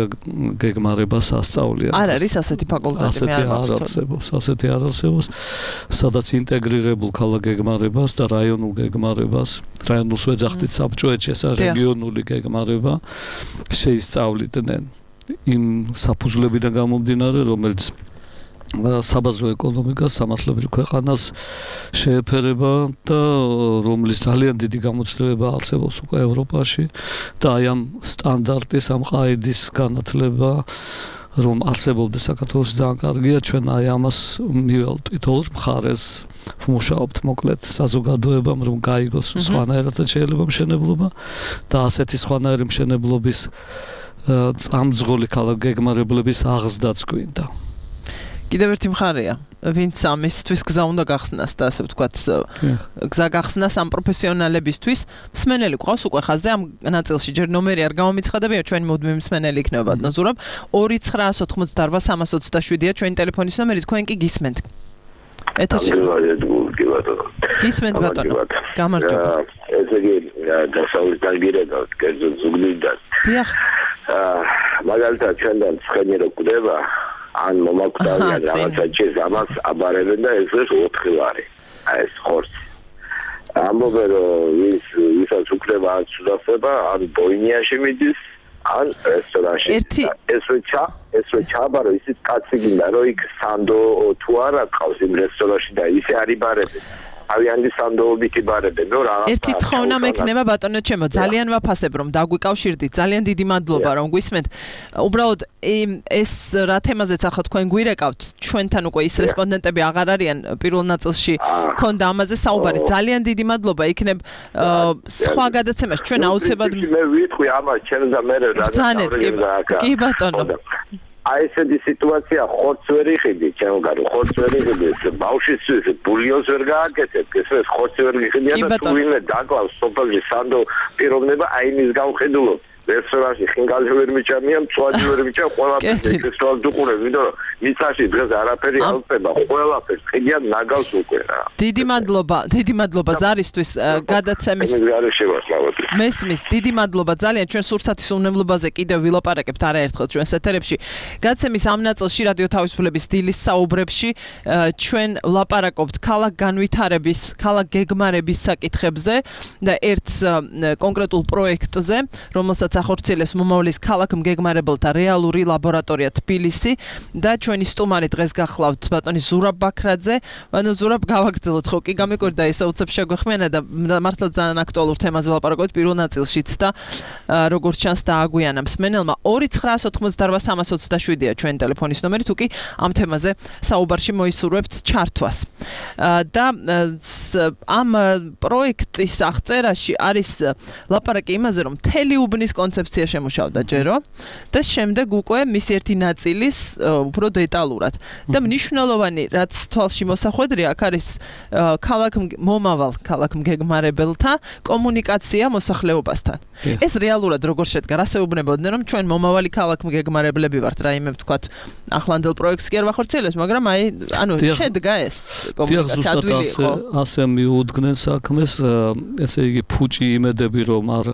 გეგმარებას ასწავლიან. არ არის ასეთი ფაკულტეტი, ასეთი არ არსებობს, ასეთი არ არსებობს, სადაც ინტეგრირებულ ქალაქ გეგმარებას და რაიონულ გეგმარებას, რაიონულს ვეძახდით საბჭოეთში, ეს რეგიონული გეგმარება შეისწავლიდნენ იმ საფუძვლებიდან გამომდინარე, რომელიც საბაზრო ეკონომიკას, სამართლებრივ ქვეყანას შეეფერება და რომლის ძალიან დიდი გამოცდილება არსებობს უკვე ევროპაში და აი ამ სტანდარტის, ამ ყაიდის განათლება რომ არსებობდეს საქართველოში ძალიან კარგია, ჩვენ აი ამას მიველტვით ორ მხარეს ვმუშაობთ მოკლედ საზოგადოებამ, რომ გაიგოს სხვანაირად შეიძლება მშენებლობა და ასეთი სხვანაირი მშენებლობის წამძღოლი ქალაქ გეგმარებლების აღზრდაც გვინდა. კიდევ ერთი მხარეა, ვინც ამისთვის გზა უნდა გახსნას და ასე ვთქვათ, გზა გახსნას ამ პროფესიონალებისთვის. მსმენელი გვყავს უკვე ხაზზე ამ ნაწილში, ჯერ ნომერი არ გამომიცხადებია, ჩვენი მუდმივი მსმენელი იქნება ბატონო ზურაბ. ორი ცხრაას ოთხმოცდაარბა სამას ოცდაშვიდია ჩვენი ტელეფონის ნომერი, თქვენ კი გისმენთ. ეთერში გისმენთ ბატონო. გამარჯობა. ესე იგი დასავლეთ დაგირეკავთ კერძო ზუგდიდან. დიახ. აა მაგალითად ჩვენთან ცხენი რო გვდება ან მომაკვდავიან რაღაცა ჭირს ამას აბარებენ და ეს ეს ოთხი ლარი აი ეს ხორცი ამბობენ რომ ის ისაც უკრება ან სუდახება ან ბოინიაში მიდის ან რესტორანში ეს როცა ეს როცა აბარო ისიც კაცი გინდა რომ იქ სანდო თუ არა ყავს იმ რესტორანში და ისე არიბარებენ ავიანდი სანდოობითი ბარებენ რომ რა ერთი თხოვნა მექნება ბატონო ჩემო ძალიან ვაფასებ რომ დაგვიკავშირდით ძალიან დიდი მადლობა რომ გვისმენთ უბრალოდ ეს რა თემაზეც ახლა თქვენ გვირეკავთ ჩვენთან უკვე ის რესპონდენტები აღარ არიან პირველ ნაწილში ქონდა ამაზე საუბარი ძალიან დიდი მადლობა იქნებ სხვა გადაცემაში ჩვენ აუცილებლად მე ვიტყვი ამას ჩვენ და მე რა კი ბატონო აი ესეთი სიტუაცია ხორცს ვერ იყიდი, ჩემო გარო, ხორცს ვერ იყიდი, ბავშვის ბულიონს ვერ გააკეთებ, ეს ხორცს ვერ იყიდია და თუ ვინმე დაკლავს სოფელში სანდო პიროვნება აი მის გავხედულობ. რესტორანში ხინგალი ვერ მიჭამია, მწვადი ვერ მიჭამ, ყველაფერს ეს დუყურებ, ვიდრე მიწაში დღეს არაფერი ალწება, ყველაფერს ხიდიან ნაგავს უკვე რა. დიდი მადლობა, დიდი მადლობა ზარისთვის გადაცემის. მესმის, დიდი მადლობა ძალიან ჩვენ სურსათის უნებლობაზე კიდევ ვილაპარაკებთ არაერთხელ ჩვენს ეთერებში. გადაცემის ამ ნაწილში რადიო თავისუფლების დილის საუბრებში ჩვენ ვლაპარაკობთ ქალაქ განვითარების, ქალაქ გეგმარების საკითხებზე და ერთ კონკრეტულ პროექტზე, რომელსაც ახორციელებს მომავლის ქალაქ მგეგმარებელთა რეალური ლაბორატორია თბილისი და ჩვენი სტუმარი დღეს გახლავთ ბატონი ზურაბ ბაქრაძე. ბატონო ზურაბ გავაგრძელოთ ხო კი გამიკვირდა ესა უცებ შეგვეხმიანა და მართლა ძალიან აქტუალურ თემაზე ვლაპარაკობთ პირველ ნაწილშიც და როგორც ჩანს დააგვიანა მსმენელმა ორი ცხრაას ოთხმოცდაოთხ სამას ოცდაშვიდია ჩვენი ტელეფონის ნომერი თუ კი ამ თემაზე საუბარში მოისურვებთ ჩართვას. და ამ პროექტის აღწერაში არის ლაპარაკი იმაზე რომ მთელი უბნის კონცეფცია შემუშავდა ჯერო და შემდეგ უკვე მის ერთი ნაწილის უფრო დეტალურად და მნიშვნელოვანი რაც თვალში მოსახვედრია აქ არის ქალაქ მომავალ ქალაქ მგეგმარებელთა კომუნიკაცია მოსახლეობასთან. ეს რეალურად როგორ შედგა? რა საუბრობდნენ რომ ჩვენ მომავალი ქალაქ მგეგმარებლები ვართ რაიმე ვთქვათ ახლანდელ პროექტს კი არ ვახორციელებს მაგრამ აი ანუ შედგა ეს კომუნიკაცია ადვილი იყო. ასე მიუძგნენ საქმეს ესე იგი ფუჭი იმედები რომ არ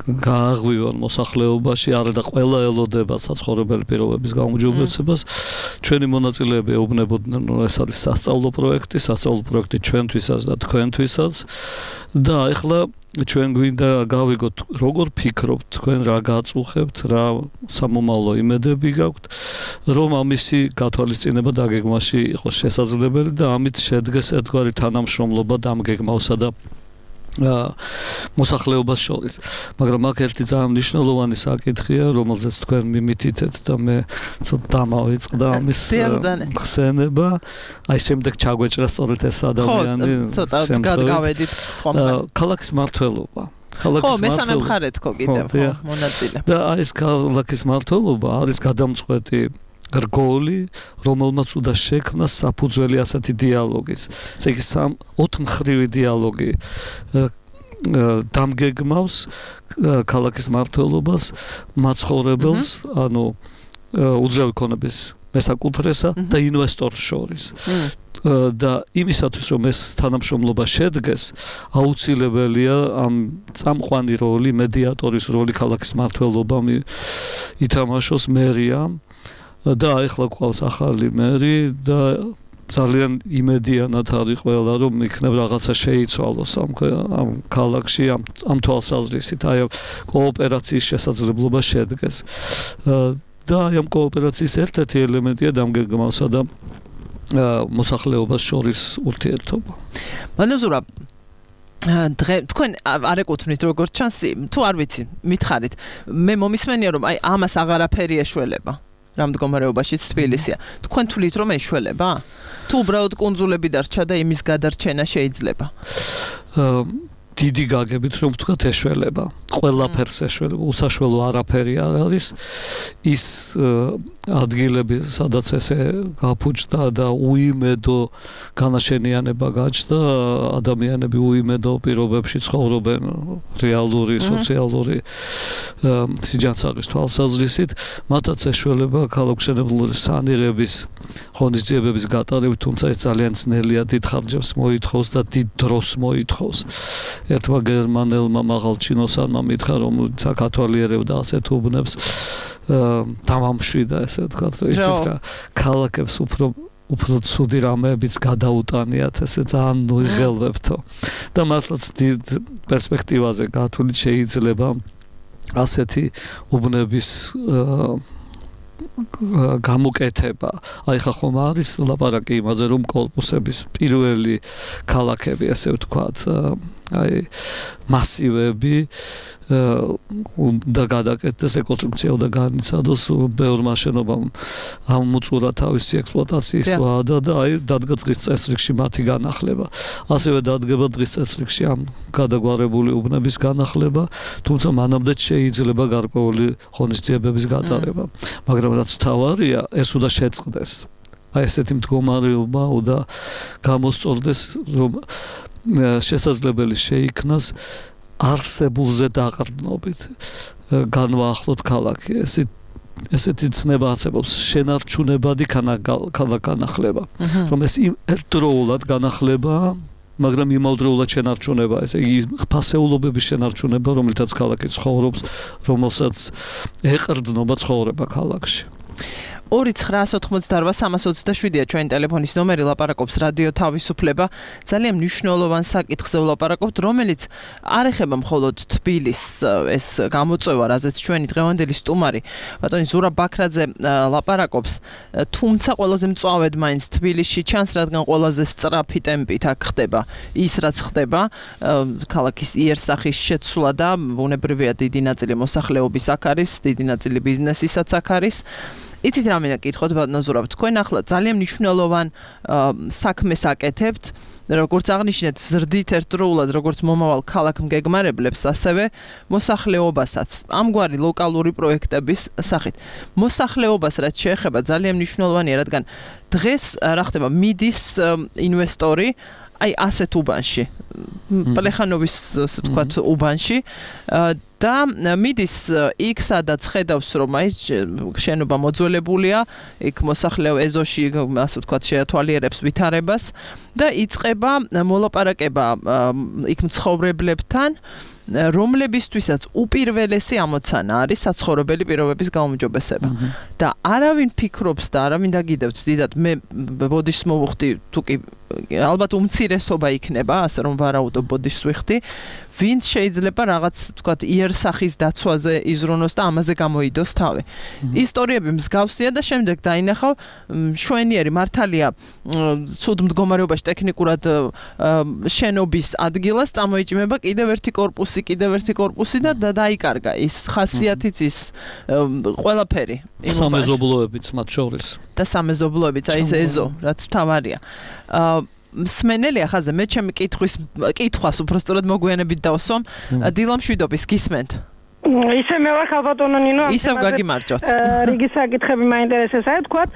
გააღვივონ მოსახლეობაში არა და ყველა ელოდება საცხოვრებელი პირობების გაუმჯობესებას ჩვენი მონაწილეები ეუბნებოდნენ რომ ეს არის სასწავლო პროექტი სასწავლო პროექტი ჩვენთვისაც და თქვენთვისაც და ეხლა ჩვენ გვინდა გავიგოთ როგორ ფიქრობთ თქვენ რა გაწუხებთ რა სამომავლო იმედები გაქვთ რომ ამისი გათვალისწინება დაგეგმაში იყოს შესაძლებელი და ამით შედგეს ერთგვარი თანამშრომლობა დამგეგმავსა და მოსახლეობას შორის. მაგრამ აქ ერთი ძალიან მნიშვნელოვანი საკითხია, რომელზეც თქვენ მიმითითეთ და მე ცოტა დამავიწყდა ამის ხსენება. აი შემდეგ ჩაგვეჭრა სწორედ ეს ადამიანი. ხო, ცოტა გადავედით სხვა. ქალაქის მმართველობა. ხო, მესამე მხარე თქო კიდევ, ხო, მონაწილე. და აი ეს ქალაქის მმართველობა არის გადამწყვეტი რგოლი, რომელმაც უნდა შექმნა საფუძველი ასეთი დიალოგის. ესე იგი სამ ოთხმხრივი დიალოგი დამგეგმავს ქალაქის მმართველობას, მაცხოვრებელს, ანუ უძრავი ქონების მესაკუთრესა და ინვესტორს შორის. და იმისათვის რომ ეს თანამშრომლობა შედგეს, აუცილებელია ამ წამყვანი როლი, მედიატორის როლი ქალაქის მმართველობამ ითამაშოს მერიამ. და ახლა ყავს ახალი მერი და ძალიან იმედიანად არის ყველა რომ იქნებ რაღაცა შეიცვალოს ამ ამ ქალაქში ამ ამ თვალსაზრისით აი კოოპერაციის შესაძლებლობა შედგეს და აი ამ კოოპერაციის ერთ-ერთი ელემენტია დამგეგმავსა და მოსახლეობას შორის ურთიერთობა. მანოზურა დღე თქვენ არ ეკუთვნით როგორც ჩანს თუ არ ვიცი მითხარით მე მომისმენია რომ აი ამას აღარაფერი ეშველება რამ მდგომარეობაშიც თბილისია. თქვენ თვლით რომ ეშველება? თუ უბრალოდ კუნძულები დარჩა და იმის გადარჩენა შეიძლება? დიდი გაგებით რომ ვთქვათ ეშველება. ყველაფერს ეშველება. უსაშველო არაფერი არ არის. ის ადგილები, სადაც ესე გაფუჭდა და უიმედო განაშენიანება გაჩნდა, ადამიანები უიმედო პირობებში ცხოვრობენ რეალური, სოციალური სიჯანსაღის თვალსაზრისით, მათაც ეშველება ქალაქმშენებლური სანირების ღონისძიებების გატარებით, თუმცა ეს ძალიან ძნელია, დიდ ხარჯებს მოითხოვს და დიდ დროს მოითხოვს. ერთმა გერმანელმა მაღალჩინოსანმა მითხრა რომ საქართველიერებდა ასეთ უბნებს დამამშვიდა ესე ვთქვათ რომ იცით რა ქალაქებს უფრო უფრო ცუდი რამეებიც გადაუტანიათ ესე ძალიან მოიღელვებთო და მართლაც დიდ პერსპექტივაზე გათვლით შეიძლება ასეთი უბნების გამოკეთება. აი ხა ხომ არის ლაპარაკი იმაზე რომ კორპუსების პირველი ქალაქები ასე ვთქვათ აი მასივები და გადაკეთდეს რეკონსტრუქცია და განიცადოს ბევრმა შენობამ ამოწურა თავისი ექსპლუატაციის ვადა და აი დადგა დღის წესრიგში მათი განახლება. ასევე დადგება დღის წესრიგში ამ გადაგვარებული უბნების განახლება, თუმცა მანამდე შეიძლება გარკვეული ღონისძიებების გატარება. მაგრამ რაც თავარია, ეს უნდა შეწყდეს. აი ესეთი მდგომარეობა უნდა გამოსწორდეს, რომ შესაძლებელი შეიქმნას არსებულზე დაყრდნობით განვაახლოთ ქალაქი. ესე ესეთი ცნება არსებობს შენარჩუნებადი განახლება. რომ ეს ერთდროულად განახლება მაგრამ იმავდროულად შენარჩუნება, ესე იგი ფასეულობების შენარჩუნება, რომელთაც ქალაქი ცხოვრობს, რომელსაც ეყრდნობა ცხოვრება ქალაქში. ორი ცხრაას ოთხმოცდაორვა სამას ოცდაშვიდია ჩვენი ტელეფონის ნომერი, ლაპარაკობს რადიო თავისუფლება. ძალიან მნიშვნელოვან საკითხზე ვლაპარაკობთ, რომელიც არ ეხება მხოლოდ თბილისს ეს გამოწვევა, რაზეც ჩვენი დღევანდელი სტუმარი ბატონი ზურაბ ბაქრაძე ლაპარაკობს, თუმცა ყველაზე მწვავედ მაინც თბილისში ჩანს, რადგან ყველაზე სწრაფი ტემპით აქ ხდება ის, რაც ხდება, ქალაქის იერსახის შეცვლა და ბუნებრივია დიდი ნაწილი მოსახლეობის აქ არის, დიდი ნაწილი ბიზნესისაც აქ არის. იცით რა მინდა კითხოთ ბატონო ზურაბ, თქვენ ახლა ძალიან მნიშვნელოვან საქმეს აკეთებთ, როგორც აღნიშნეთ, ზრდით ერთდროულად, როგორც მომავალ ქალაქ მგეგმარებლებს, ასევე მოსახლეობასაც. ამგვარი ლოკალური პროექტების სახით. მოსახლეობას რაც შეეხება ძალიან მნიშვნელოვანია, რადგან დღეს რა ხდება, მიდის ინვესტორი აი ასეთ უბანში, პლეხანოვის ასე ვთქვათ უბანში და მიდის იქ სადაც ხედავს რომ აი შენობა მოძველებულია, იქ მოსახლეობა ეზოში ასე ვთქვათ შეათვალიერებს ვითარებას და იწყება მოლაპარაკება იქ მცხოვრებლებთან, რომლებისთვისაც უპირველესი ამოცანა არის საცხოვრებელი პირობების გაუმჯობესება. და არავინ ფიქრობს და არავინ დაგიდევთ დიდად, მე ბოდიშს მოვუხდი, თუკი ალბათ უმცირესობა იქნება, ასე რომ ვარაუდობ ბოდიშს ვიხდი, ვინც შეიძლება რაღაც თქვათ იერსახის დაცვაზე იზრუნოს და ამაზე გამოიდოს თავი. ისტორიები მსგავსია და შემდეგ დაინახავ შვენიერი მართალია ცუდ მდგომარეობაში ტექნიკურად შენობის ადგილას წამოიჭიმება კიდევ ერთი კორპუსი, კიდევ ერთი კორპუსი და დაიკარგა ის ხასიათიც ის ყველაფერი. სამეზობლოებიც მათ შორის. და სამეზობლოებიც აი ეს ეზო, რაც თავარია. მსმენელია ხაზე, მე ჩემი კითხვის კითხვას უბრალოდ მოგვიანებით დავსვამ. დილამშვიდობის გისმენთ. ისე მე ვარ ხალბატონო ნინო, ისევ გაგიმარჯვოთ. რიგი საკითხები მაინტერესებს, აი თქვათ,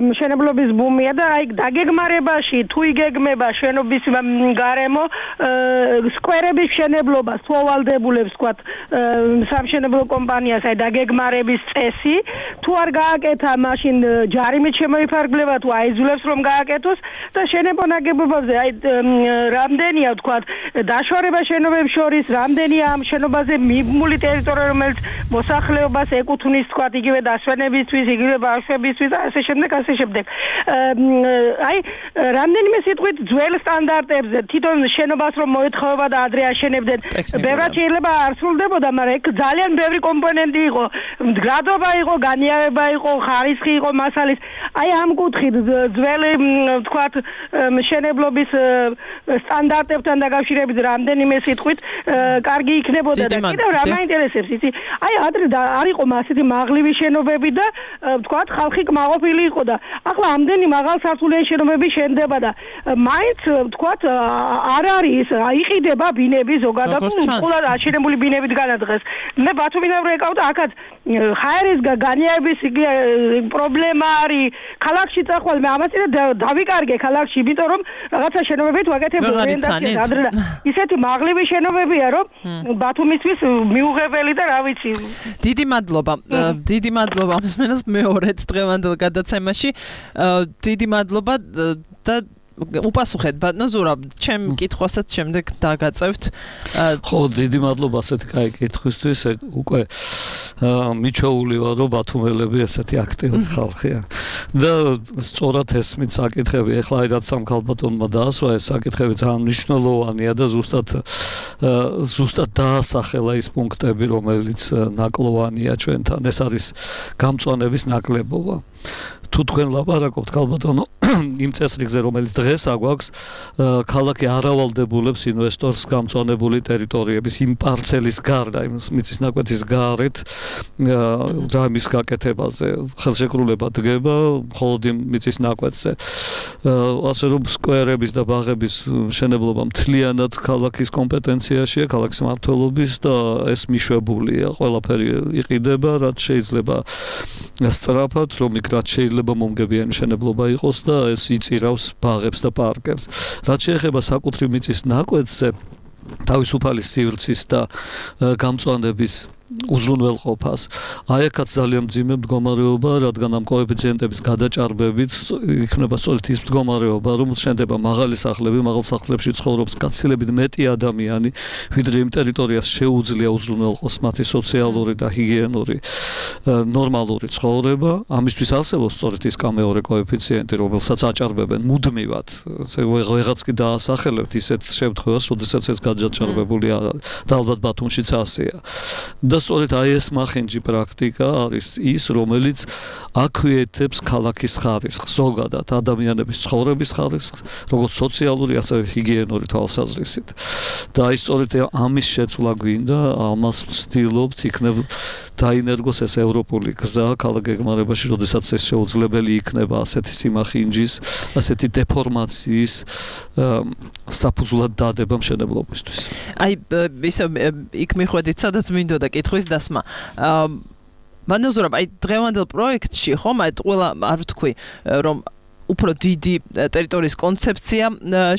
მშენებლობის ბუმია და აი დაგეგმარებაში თუ იგეგმება შენობის გარემო სკვერების მშენებლობას თუ ავალდებულებს თქვათ სამშენებლო კომპანიას აი დაგეგმარების წესი, თუ არ გააკეთა, მაშინ ჯარიმით შემოიფარგლება თუ აიძულებს რომ გააკეთოს და შენებო ნაგებობებზე აი რამდენია თქვათ დაშორება შენობებს შორის, რამდენია ამ შენობაზე მიბმული ტერიტორია, რომელიც მოსახლეობას ეკუთვნის, თქვათ, იგივე დასვენებისთვის, იგივე ბავშვებისთვის, ასე შემდეგ, ასე შემდეგ. აი, რამდენიმე სიტყვით ძველ სტანდარტებზე, თვითონ შენობას რომ მოეთხოვება და ადრე აშენებდნენ, ბევრად შეიძლება არ სრულდებოდა, მაგრამ ეგ ძალიან ბევრი კომპონენტი იყო, მდგრადობა იყო, განიარება იყო, ხარისხი იყო მასალის. აი, ამ კუთხით ძველი, თქვათ, მშენებლობის სტანდარტებთან დაკავშირებით რამდენიმე სიტყვით კარგი იქნებოდა და კიდევ რა მაინტერესებს, იცი? აი, ადრე არ იყო ასეთი მაღლივი შენობები და ვთქვათ, ხალხი კმაყოფილი იყო და ახლა ამდენი მაღალსართულიანი შენობები შენდება და მაინც ვთქვათ, არ არის, იყიდება ბინები ზოგადად, უყურად აშენებული ბინებით განადღეს. მე ბათუმიდან რო ეკავდა, აქაც ხაერის განიარების პრობლემა არის. ქალაქში წახვალ მე ამას დავიკარგე ქალაქში, იმიტომ რომ რაღაცა შენობებით ვაკეთებ ორიენტაციას ადრე და ისეთი მაღლივი შენობებია, რომ ბათუმისთვის მიუღებელი და რა ვიცი. დიდი მადლობა. დიდი მადლობა მსმენელს მეორედ დღევანდელ გადაცემაში. დიდი მადლობა და უპასუხეთ ბატონო ზურაბ, ჩემ კითხვასაც შემდეგ დაგაწევთ. ხო, დიდი მადლობა ასეთი კაი კითხვისთვის. უკვე მიჩვეული ვარ, რომ ბათუმელები ესეთი აქტიური ხალხია. და სწორად ესმით საკითხები, ეხლა აი რაც ამ ქალბატონმა დაასვა, ეს საკითხები ძალიან მნიშვნელოვანია და ზუსტად ზუსტად დაასახელა ის პუნქტები, რომელიც ნაკლოვანია ჩვენთან. ეს არის გამწვანების ნაკლებობა. თუ თქვენ ლაპარაკობთ ქალბატონო იმ წესრიგზე, რომელიც დღეს აგვაქვს, ქალაქი არავალდებულებს ინვესტორს გამწვანებული ტერიტორიების იმ პარცელის გარდა, იმ მიწის ნაკვეთის გარეთ ძამის გაკეთებაზე ხელშეკრულება დგება მხოლოდ იმ მიწის ნაკვეთზე. ასე რომ სკვერების და ბაღების მშენებლობა მთლიანად ქალაქის კომპეტენციაშია, ქალაქის მმართველობის და ეს მიშვებულია. ყველაფერი იყიდება, რაც შეიძლება სწრაფად, რომ იქ რაც შეიძლება მომგებიანი მშენებლობა იყოს და ეს იწირავს ბაღებს და პარკებს. რაც შეეხება საკუთრივ მიწის ნაკვეთზე, თავისუფალი სივრცის და გამწვანების უზრუნველყოფას. აი აქაც ძალიან მძიმე მდგომარეობა, რადგან ამ კოეფიციენტების გადაჭარბებით იქნება სწორედ ის მდგომარეობა, რომ შენდება მაღალი სახლები, მაღალ სახლებში ცხოვრობს გაცილებით მეტი ადამიანი, ვიდრე იმ ტერიტორიას შეუძლია უზრუნველყოს მათი სოციალური და ჰიგიენური ნორმალური ცხოვრება. ამისთვის არსებობს სწორედ ის კამეორე კოეფიციენტი, რომელსაც აჭარბებენ მუდმივად. ვეღაც კი დაასახელებთ ისეთ შემთხვევას, როდესაც ეს გადაჭარბებულია და ალბათ ბათუმშიც ასეა. და სწორედ აი ეს მახინჯი პრაქტიკა არის ის, რომელიც აქვეითებს ქალაქის ხარისხს, ზოგადად ადამიანების ცხოვრების ხარისხს, როგორც სოციალური, ასევე ჰიგიენური თვალსაზრისით. და აი სწორედ ამის შეცვლა გვინდა, ამას ვცდილობთ, იქნება დაინერგოს ეს ევროპული გზა ქალაქ გეგმარებაში, როდესაც ეს შეუძლებელი იქნება ასეთი სიმახინჯის, ასეთი დეფორმაციის საფუძვლად დადება მშენებლობისთვის. აი ისე იქ მიხვედით, სადაც მინდოდა კითხვის დასმა. ბატონო ზურაბ, აი დღევანდელ პროექტში ხომ აი ყველა არ ვთქვი, რომ უფრო დიდი ტერიტორიის კონცეფცია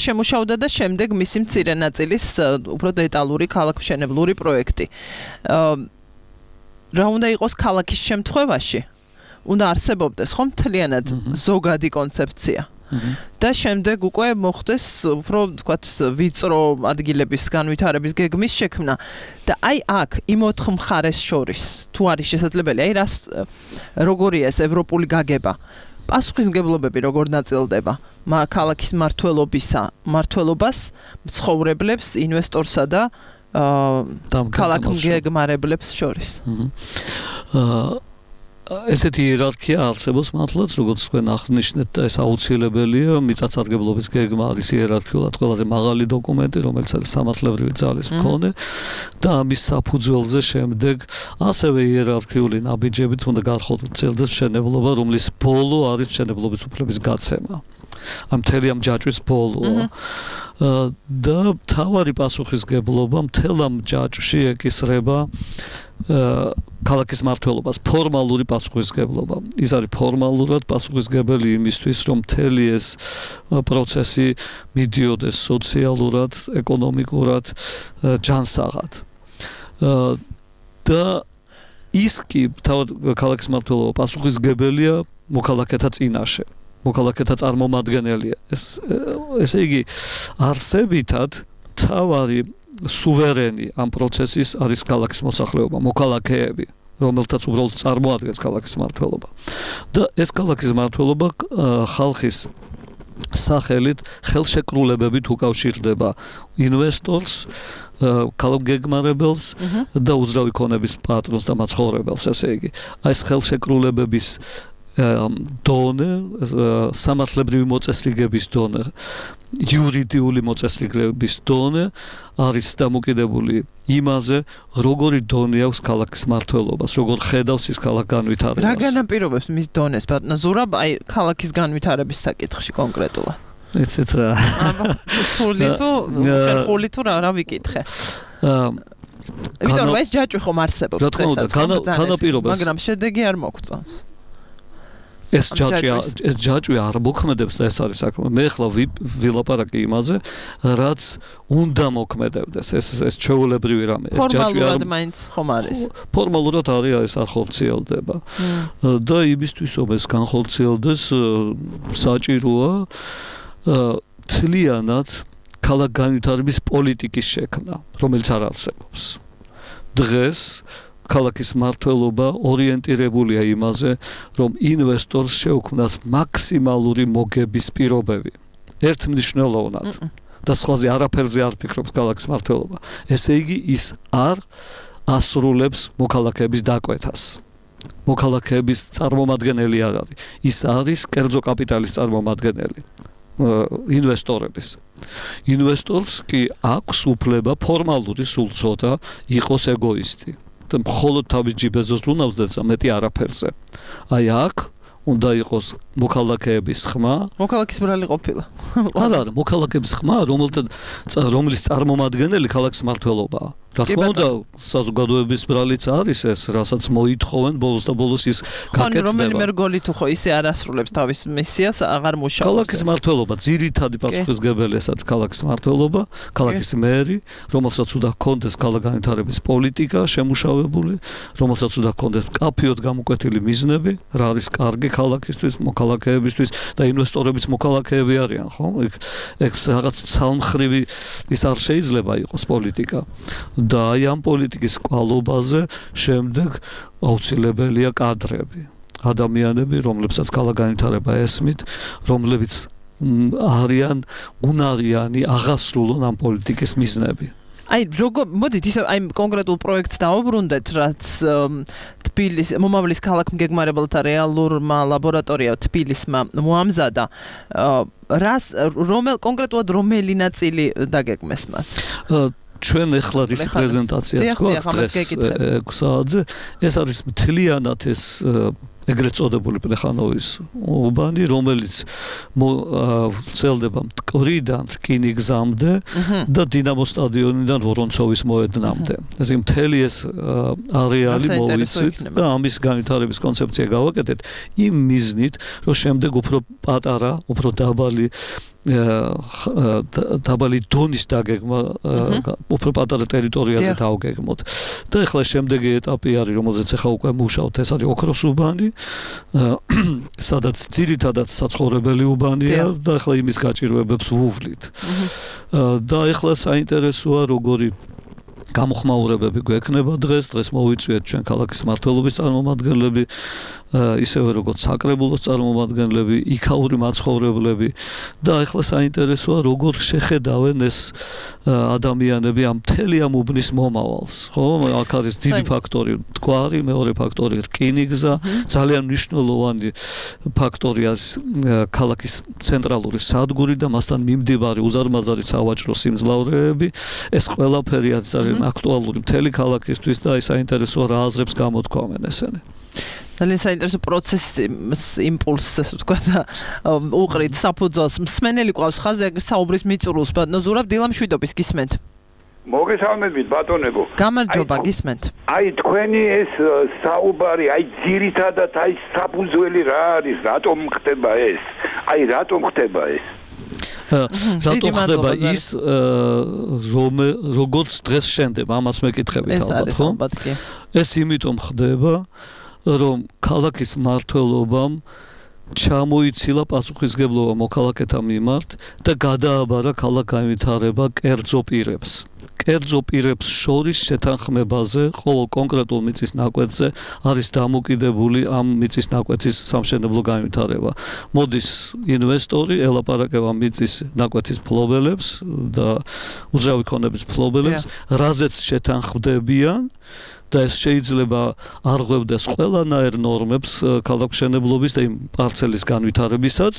შემუშავდა და შემდეგ მისი მცირე ნაწილის უფრო დეტალური ქალაქმშენებლური პროექტი. რა უნდა იყოს ქალაქის შემთხვევაში? უნდა არსებობდეს ხომ მთლიანად ზოგადი კონცეფცია. და შემდეგ უკვე მოხდეს უფრო თქვათ ვიწრო ადგილების განვითარების გეგმის შექმნა და აი აქ იმ ოთხ მხარეს შორის თუ არის შესაძლებელი აი რას როგორია ეს ევროპული გაგება პასუხისმგებლობები როგორ ნაწილდება ქალაქის მმართველობისა მმართველობას მცხოვრებლებს ინვესტორსა და ქალაქმგეგმარებლებს შორის აა ესეთი იერარქია არსებობს მართლაც, როგორც თქვენ აღნიშნეთ და ეს აუცილებელია, მიწათსარგებლობის გეგმა არის იერარქიულად ყველაზე მაღალი დოკუმენტი, რომელიც არის სამართლებრივი ძალის მქონე და ამის საფუძველზე შემდეგ ასევე იერარქიული ნაბიჯებით უნდა განხორციელდეს მშენებლობა, რომლის ბოლო არის მშენებლობის უფლების გაცემა. ამ მთელი ამ ჯაჭვის ბოლოა. და თავარი პასუხისგებლობა მთელ ამ ჯაჭვში ეკისრება ქალაქის მმართველობას ფორმალური პასუხისგებლობა. ის არის ფორმალურად პასუხისგებელი იმისთვის, რომ მთელი ეს პროცესი მიდიოდეს სოციალურად, ეკონომიკურად, ჯანსაღად. და ის კი ქალაქის მმართველობა პასუხისგებელია მოქალაქეთა წინაშე. მოქალაქეთა წარმომადგენელია. ეს ესე იგი არსებითად თავარი სუვერენი ამ პროცესის არის ქალაქის მოსახლეობა, მოქალაქეები, რომელთაც უბრალოდ წარმოადგენს ქალაქის მმართველობა. და ეს ქალაქის მმართველობა ხალხის სახელით ხელშეკრულებებით უკავშირდება ინვესტორს, ქალაქგეგმარებელს და უძრავი ქონების პატრონს და მაცხოვრებელს, ესე იგი. აი ეს ხელშეკრულებების დონე, სამართლებრივი მოწესრიგების დონე, იურიდიული მოწესრიგების დონე არის დამოკიდებული იმაზე, როგორი დონე აქვს ქალაქის მმართველობას, როგორ ხედავს ის ქალაქ განვითარებას. რა განაპირობებს მის დონეს, ბატონო ზურაბ, აი ქალაქის განვითარების საკითხში კონკრეტულად? ეცეთ რა. ხული თუ, ხული თუ რა ვიკითხე. ვიდრე ეს ჯაჭვი ხომ არსებობს დღესაც, განაპირობებს, მაგრამ შედეგი არ მოგწონს. ეს ჯაჭვი ეს ჯაჭვი არ მოქმედებს და ეს არის საქმე. მე ახლა ვილაპარაკი იმაზე, რაც უნდა მოქმედებდეს. ეს ეს ჩვეულებრივი რამე. ეს ჯაჭვი არ მაინც ხომ არის. ფორმალურად არის ეს არ ხორციელდება. და იმისთვის რომ ეს განხორციელდეს საჭიროა მთლიანად ქალაქ განვითარების პოლიტიკის შექმნა, რომელიც არ არსებობს. დღეს ქალაქის მმართველობა ორიენტირებულია იმაზე, რომ ინვესტორს შეუქმნას მაქსიმალური მოგების პირობები. ერთმნიშვნელოვნად. და სხვაზე არაფერზე არ ფიქრობს ქალაქის მმართველობა. ესე იგი ის არ ასრულებს მოქალაქეების დაკვეთას. მოქალაქეების წარმომადგენელი არ არის. ის არის კერძო კაპიტალის წარმომადგენელი. ინვესტორების. ინვესტორს კი აქვს უფლება ფორმალური სულწოდა იყოს ეგოისტი. და მხოლოდ თავის ჯიბეზოს რუნავს და მეტი არაფერზე. აი აქ უნდა იყოს მოქალაქეების ხმა. მოქალაქის ბრალი ყოფილა. არა, არა, მოქალაქეების ხმა, რომელთა რომლის წარმომადგენელი ქალაქის მმართველობაა. რა თქმა უნდა, საზოგადოების ბრალიც არის ეს, რასაც მოითხოვენ ბოლოს და ბოლოს ის გაკეთდება. რომელიმე რგოლი თუ ხო ისე არ ასრულებს თავის მისიას, აღარ მუშაობს. ქალაქის მმართველობა, ძირითადი პასუხისმგებელი ესაც ქალაქის მმართველობა, ქალაქის მერი, რომელსაც უნდა ჰქონდეს ქალაქ განვითარების პოლიტიკა შემუშავებული, რომელსაც უნდა ჰქონდეს მკაფიოდ გამოკვეთილი მიზნები, რა არის კარგი ქალაქისთვის, მოქალაქეებისთვის და ინვესტორებიც მოქალაქეები არიან, ხო? ეგ ეგ რაღაც ცალმხრივი ის არ შეიძლება იყოს პოლიტიკა. და აი ამ პოლიტიკის კვალობაზე შემდეგ აუცილებელია კადრები, ადამიანები, რომლებსაც ქალაქ განვითარება ესმით, რომლებიც არიან უნარიანი აღასრულონ ამ პოლიტიკის მიზნები. აი როგორ მოდით ისე აი კონკრეტულ პროექტს დავუბრუნდეთ, რაც თბილის მომავლის ქალაქმგეგმარებელთა რეალურმა ლაბორატორია თბილისმა მოამზადა. რას რომელ კონკრეტულად რომელი ნაწილი დაგეგმეს მათ? ჩვენ ახლა ის პრეზენტაციაც გვაქვს დღეს ექვსი საათზე. ეს არის მთლიანად ეს ეგრეთ წოდებული პლეხანოვის უბანი, რომელიც ვრცელდება მტკვრიდან რკინიგზამდე და დინამო სტადიონიდან ვორონცოვის მოედნამდე. ესე იგი მთელი ეს არეალი მოვიცით და ამის განვითარების კონცეფცია გავაკეთეთ იმ მიზნით, რომ შემდეგ უფრო პატარა, უფრო დაბალი დაბალი დონის დაგეგმა უფრო პატარა ტერიტორიაზე დავგეგმოთ. და ახლა შემდეგი ეტაპი არის, რომელზეც ახლა უკვე მუშაობთ, ეს არის ოქროს უბანი, სადაც ძირითადად საცხოვრებელი უბანია და ახლა იმის გაჭირვებებს ვუვლით. და ახლა საინტერესოა როგორი გამოხმაურებები გვექნება დღეს, დღეს მოვიწვიეთ ჩვენ ქალაქის მმართველობის წარმომადგენლები, ისევე როგორც საკრებულოს წარმომადგენლები, იქაური მაცხოვრებლები და ახლა საინტერესოა როგორ შეხედავენ ეს ადამიანები ამ მთელი ამ უბნის მომავალს, ხო? აქ არის დიდი ფაქტორი მტკვარი, მეორე ფაქტორი რკინიგზა, ძალიან მნიშვნელოვანი ფაქტორია ქალაქის ცენტრალური სადგური და მასთან მიმდებარე უზარმაზარი სავაჭრო სიმძლავრეები, ეს ყველაფერი არის აქტუალური მთელი ქალაქისთვის და აი საინტერესოა რა აზრებს გამოთქვამენ ესენი. ძალიან საინტერესო პროცესის იმპულსს, ასე ვთქვათ, უყრით საფუძველს. მსმენელი ყავს ხაზზე საუბრის მიწურულს, ბატონო ზურაბ დილამშვიდობის გისმენთ. მოგესალმებით ბატონებო. გამარჯობა, გისმენთ. აი თქვენი ეს საუბარი, აი ძირითადად აი საფუძველი რა არის, რატომ ხდება ეს? აი რატომ ხდება ეს? რატომ ხდება ის, რომ როგორც დღეს შენდება, ამას მეკითხებით ალბათ, ხო? ეს იმიტომ ხდება, რომ ქალაქის მმართველობამ ჩამოიცილა პასუხისმგებლობა მოქალაქეთა მიმართ და გადააბარა ქალაქ განვითარება კერძო პირებს. კერძო პირებს შორის შეთანხმებაზე, ყოველ კონკრეტულ მიწის ნაკვეთზე არის დამოკიდებული ამ მიწის ნაკვეთის სამშენებლო განვითარება. მოდის ინვესტორი, ელაპარაკება მიწის ნაკვეთის ფლობელებს და უძრავი ქონების ფლობელებს, რაზეც შეთანხმდებიან და ეს შეიძლება არ ღვევდეს ყველანაირ ნორმებს ქალაქმშენებლობის და იმ პარცელის განვითარებისაც,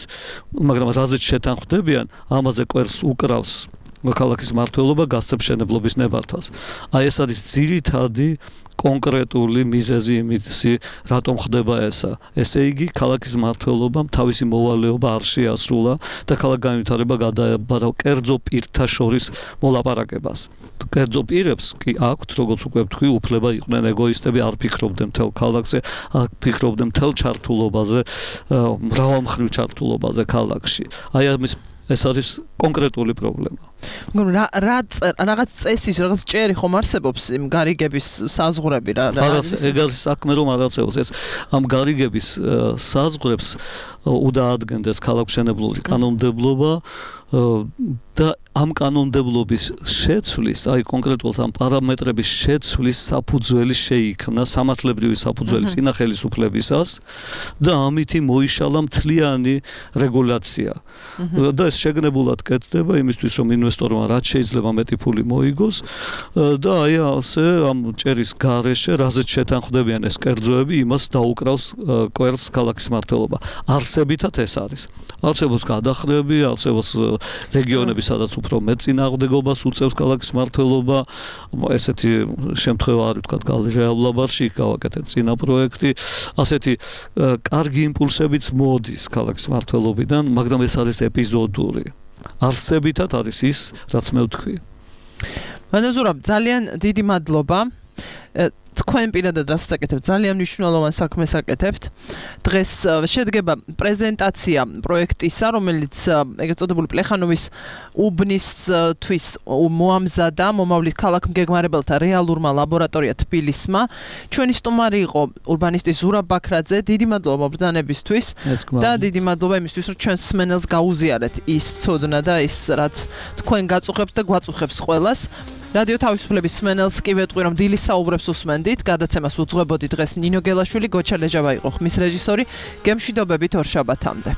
მაგრამ რაზეც შეთანხმდებიან, ამაზე კვერს უკრავს ქალაქის მმართველობა გასცემ მშენებლობის ნებართვას. აი ეს არის ძირითადი კონკრეტული მიზეზი იმისი, რატომ ხდება ესა. ესე იგი, ქალაქის მმართველობამ თავისი მოვალეობა არ შეასრულა და ქალაქ განვითარება გადააბარა კერძო პირთა შორის მოლაპარაკებას. კერძო პირებს კი აქვთ, როგორც უკვე ვთქვი, უფლება იყვნენ ეგოისტები, არ ფიქრობდნენ მთელ ქალაქზე, არ ფიქრობდნენ მთელ ჩართულობაზე, მრავალმხრივ ჩართულობაზე ქალაქში. აი ამის ეს არის კონკრეტული პრობლემა. რა რა რაღაც წესის, რაღაც ჭერი ხომ არსებობს იმ გარიგების საზღვრები რა. რაღაც ეგ არის საქმე რომ არაცეოს ეს ამ გარიგების საზღვრებს უდაადგენდეს ქალაქმშენებლური კანონმდებლობა და ამ კანონმდებლობის შეცვლის, აი კონკრეტულად ამ პარამეტრების შეცვლის საფუძველი შეიქმნა სამართლებრივი საფუძველი წინა ხელისუფლებისას და ამითი მოიშალა მთლიანი რეგულაცია. და ეს შეგნებულად კეთდება იმისთვის რომ ინვესტორმა რაც შეიძლება მეტი ფული მოიგოს და აი ასე ამ ჭერის გარეშე რაზეც შეთანხმდებიან ეს კერძოები იმას დაუკრავს კვერცხს ქალაქის მმართველობა. არსებითად ეს არის. არსებობს გადახრები, არსებობს რეგიონები სადაც უფრო მეტ წინააღმდეგობას უწევს ქალაქის მმართველობა, ესეთი შემთხვევა არის თქვა გალერეა ვლაბარში, გავაკეთეთ წინა პროექტი, ასეთი კარგი იმპულსებიც მოდის ქალაქის მმართველობიდან, მაგრამ ეს არის ეპიზოდური. არსებითად არის ის, რაც მე ვთქვი. მანაზურა, ძალიან დიდი მადლობა. თქვენ პირადად რაც საკეთებთ, ძალიან მნიშვნელოვან საქმეს აკეთებთ. დღეს შედგება პრეზენტაცია პროექტისა, რომელიც ეგრეთ წოდებული პლეხანოვის უბნისთვის მოამზადა მომავლის ქალაქ-მგეგმარებელთა რეალურმა ლაბორატორია თბილისმა. ჩვენი სტუმარი იყო ურბანისტი ზურაბ ბაქრაძე. დიდი მადლობა ბრძანებისთვის და დიდი მადლობა იმისთვის, რომ ჩვენს მსმენელს გაუზიარეთ ის ცოდნა და ის რაც თქვენ გაწუხებთ და გვაწუხებს ყველას. რადიო თავისუფლების მსმენელს კი ვეტყვი, რომ დილის საუბრებს უსმენდით. გადაცემას უძღვებოდი დღეს ნინო გელაშვილი, გოჩა ლეჟავა იყო ხმის რეჟისორი. გემშვიდობებით ორ შაბათამდე.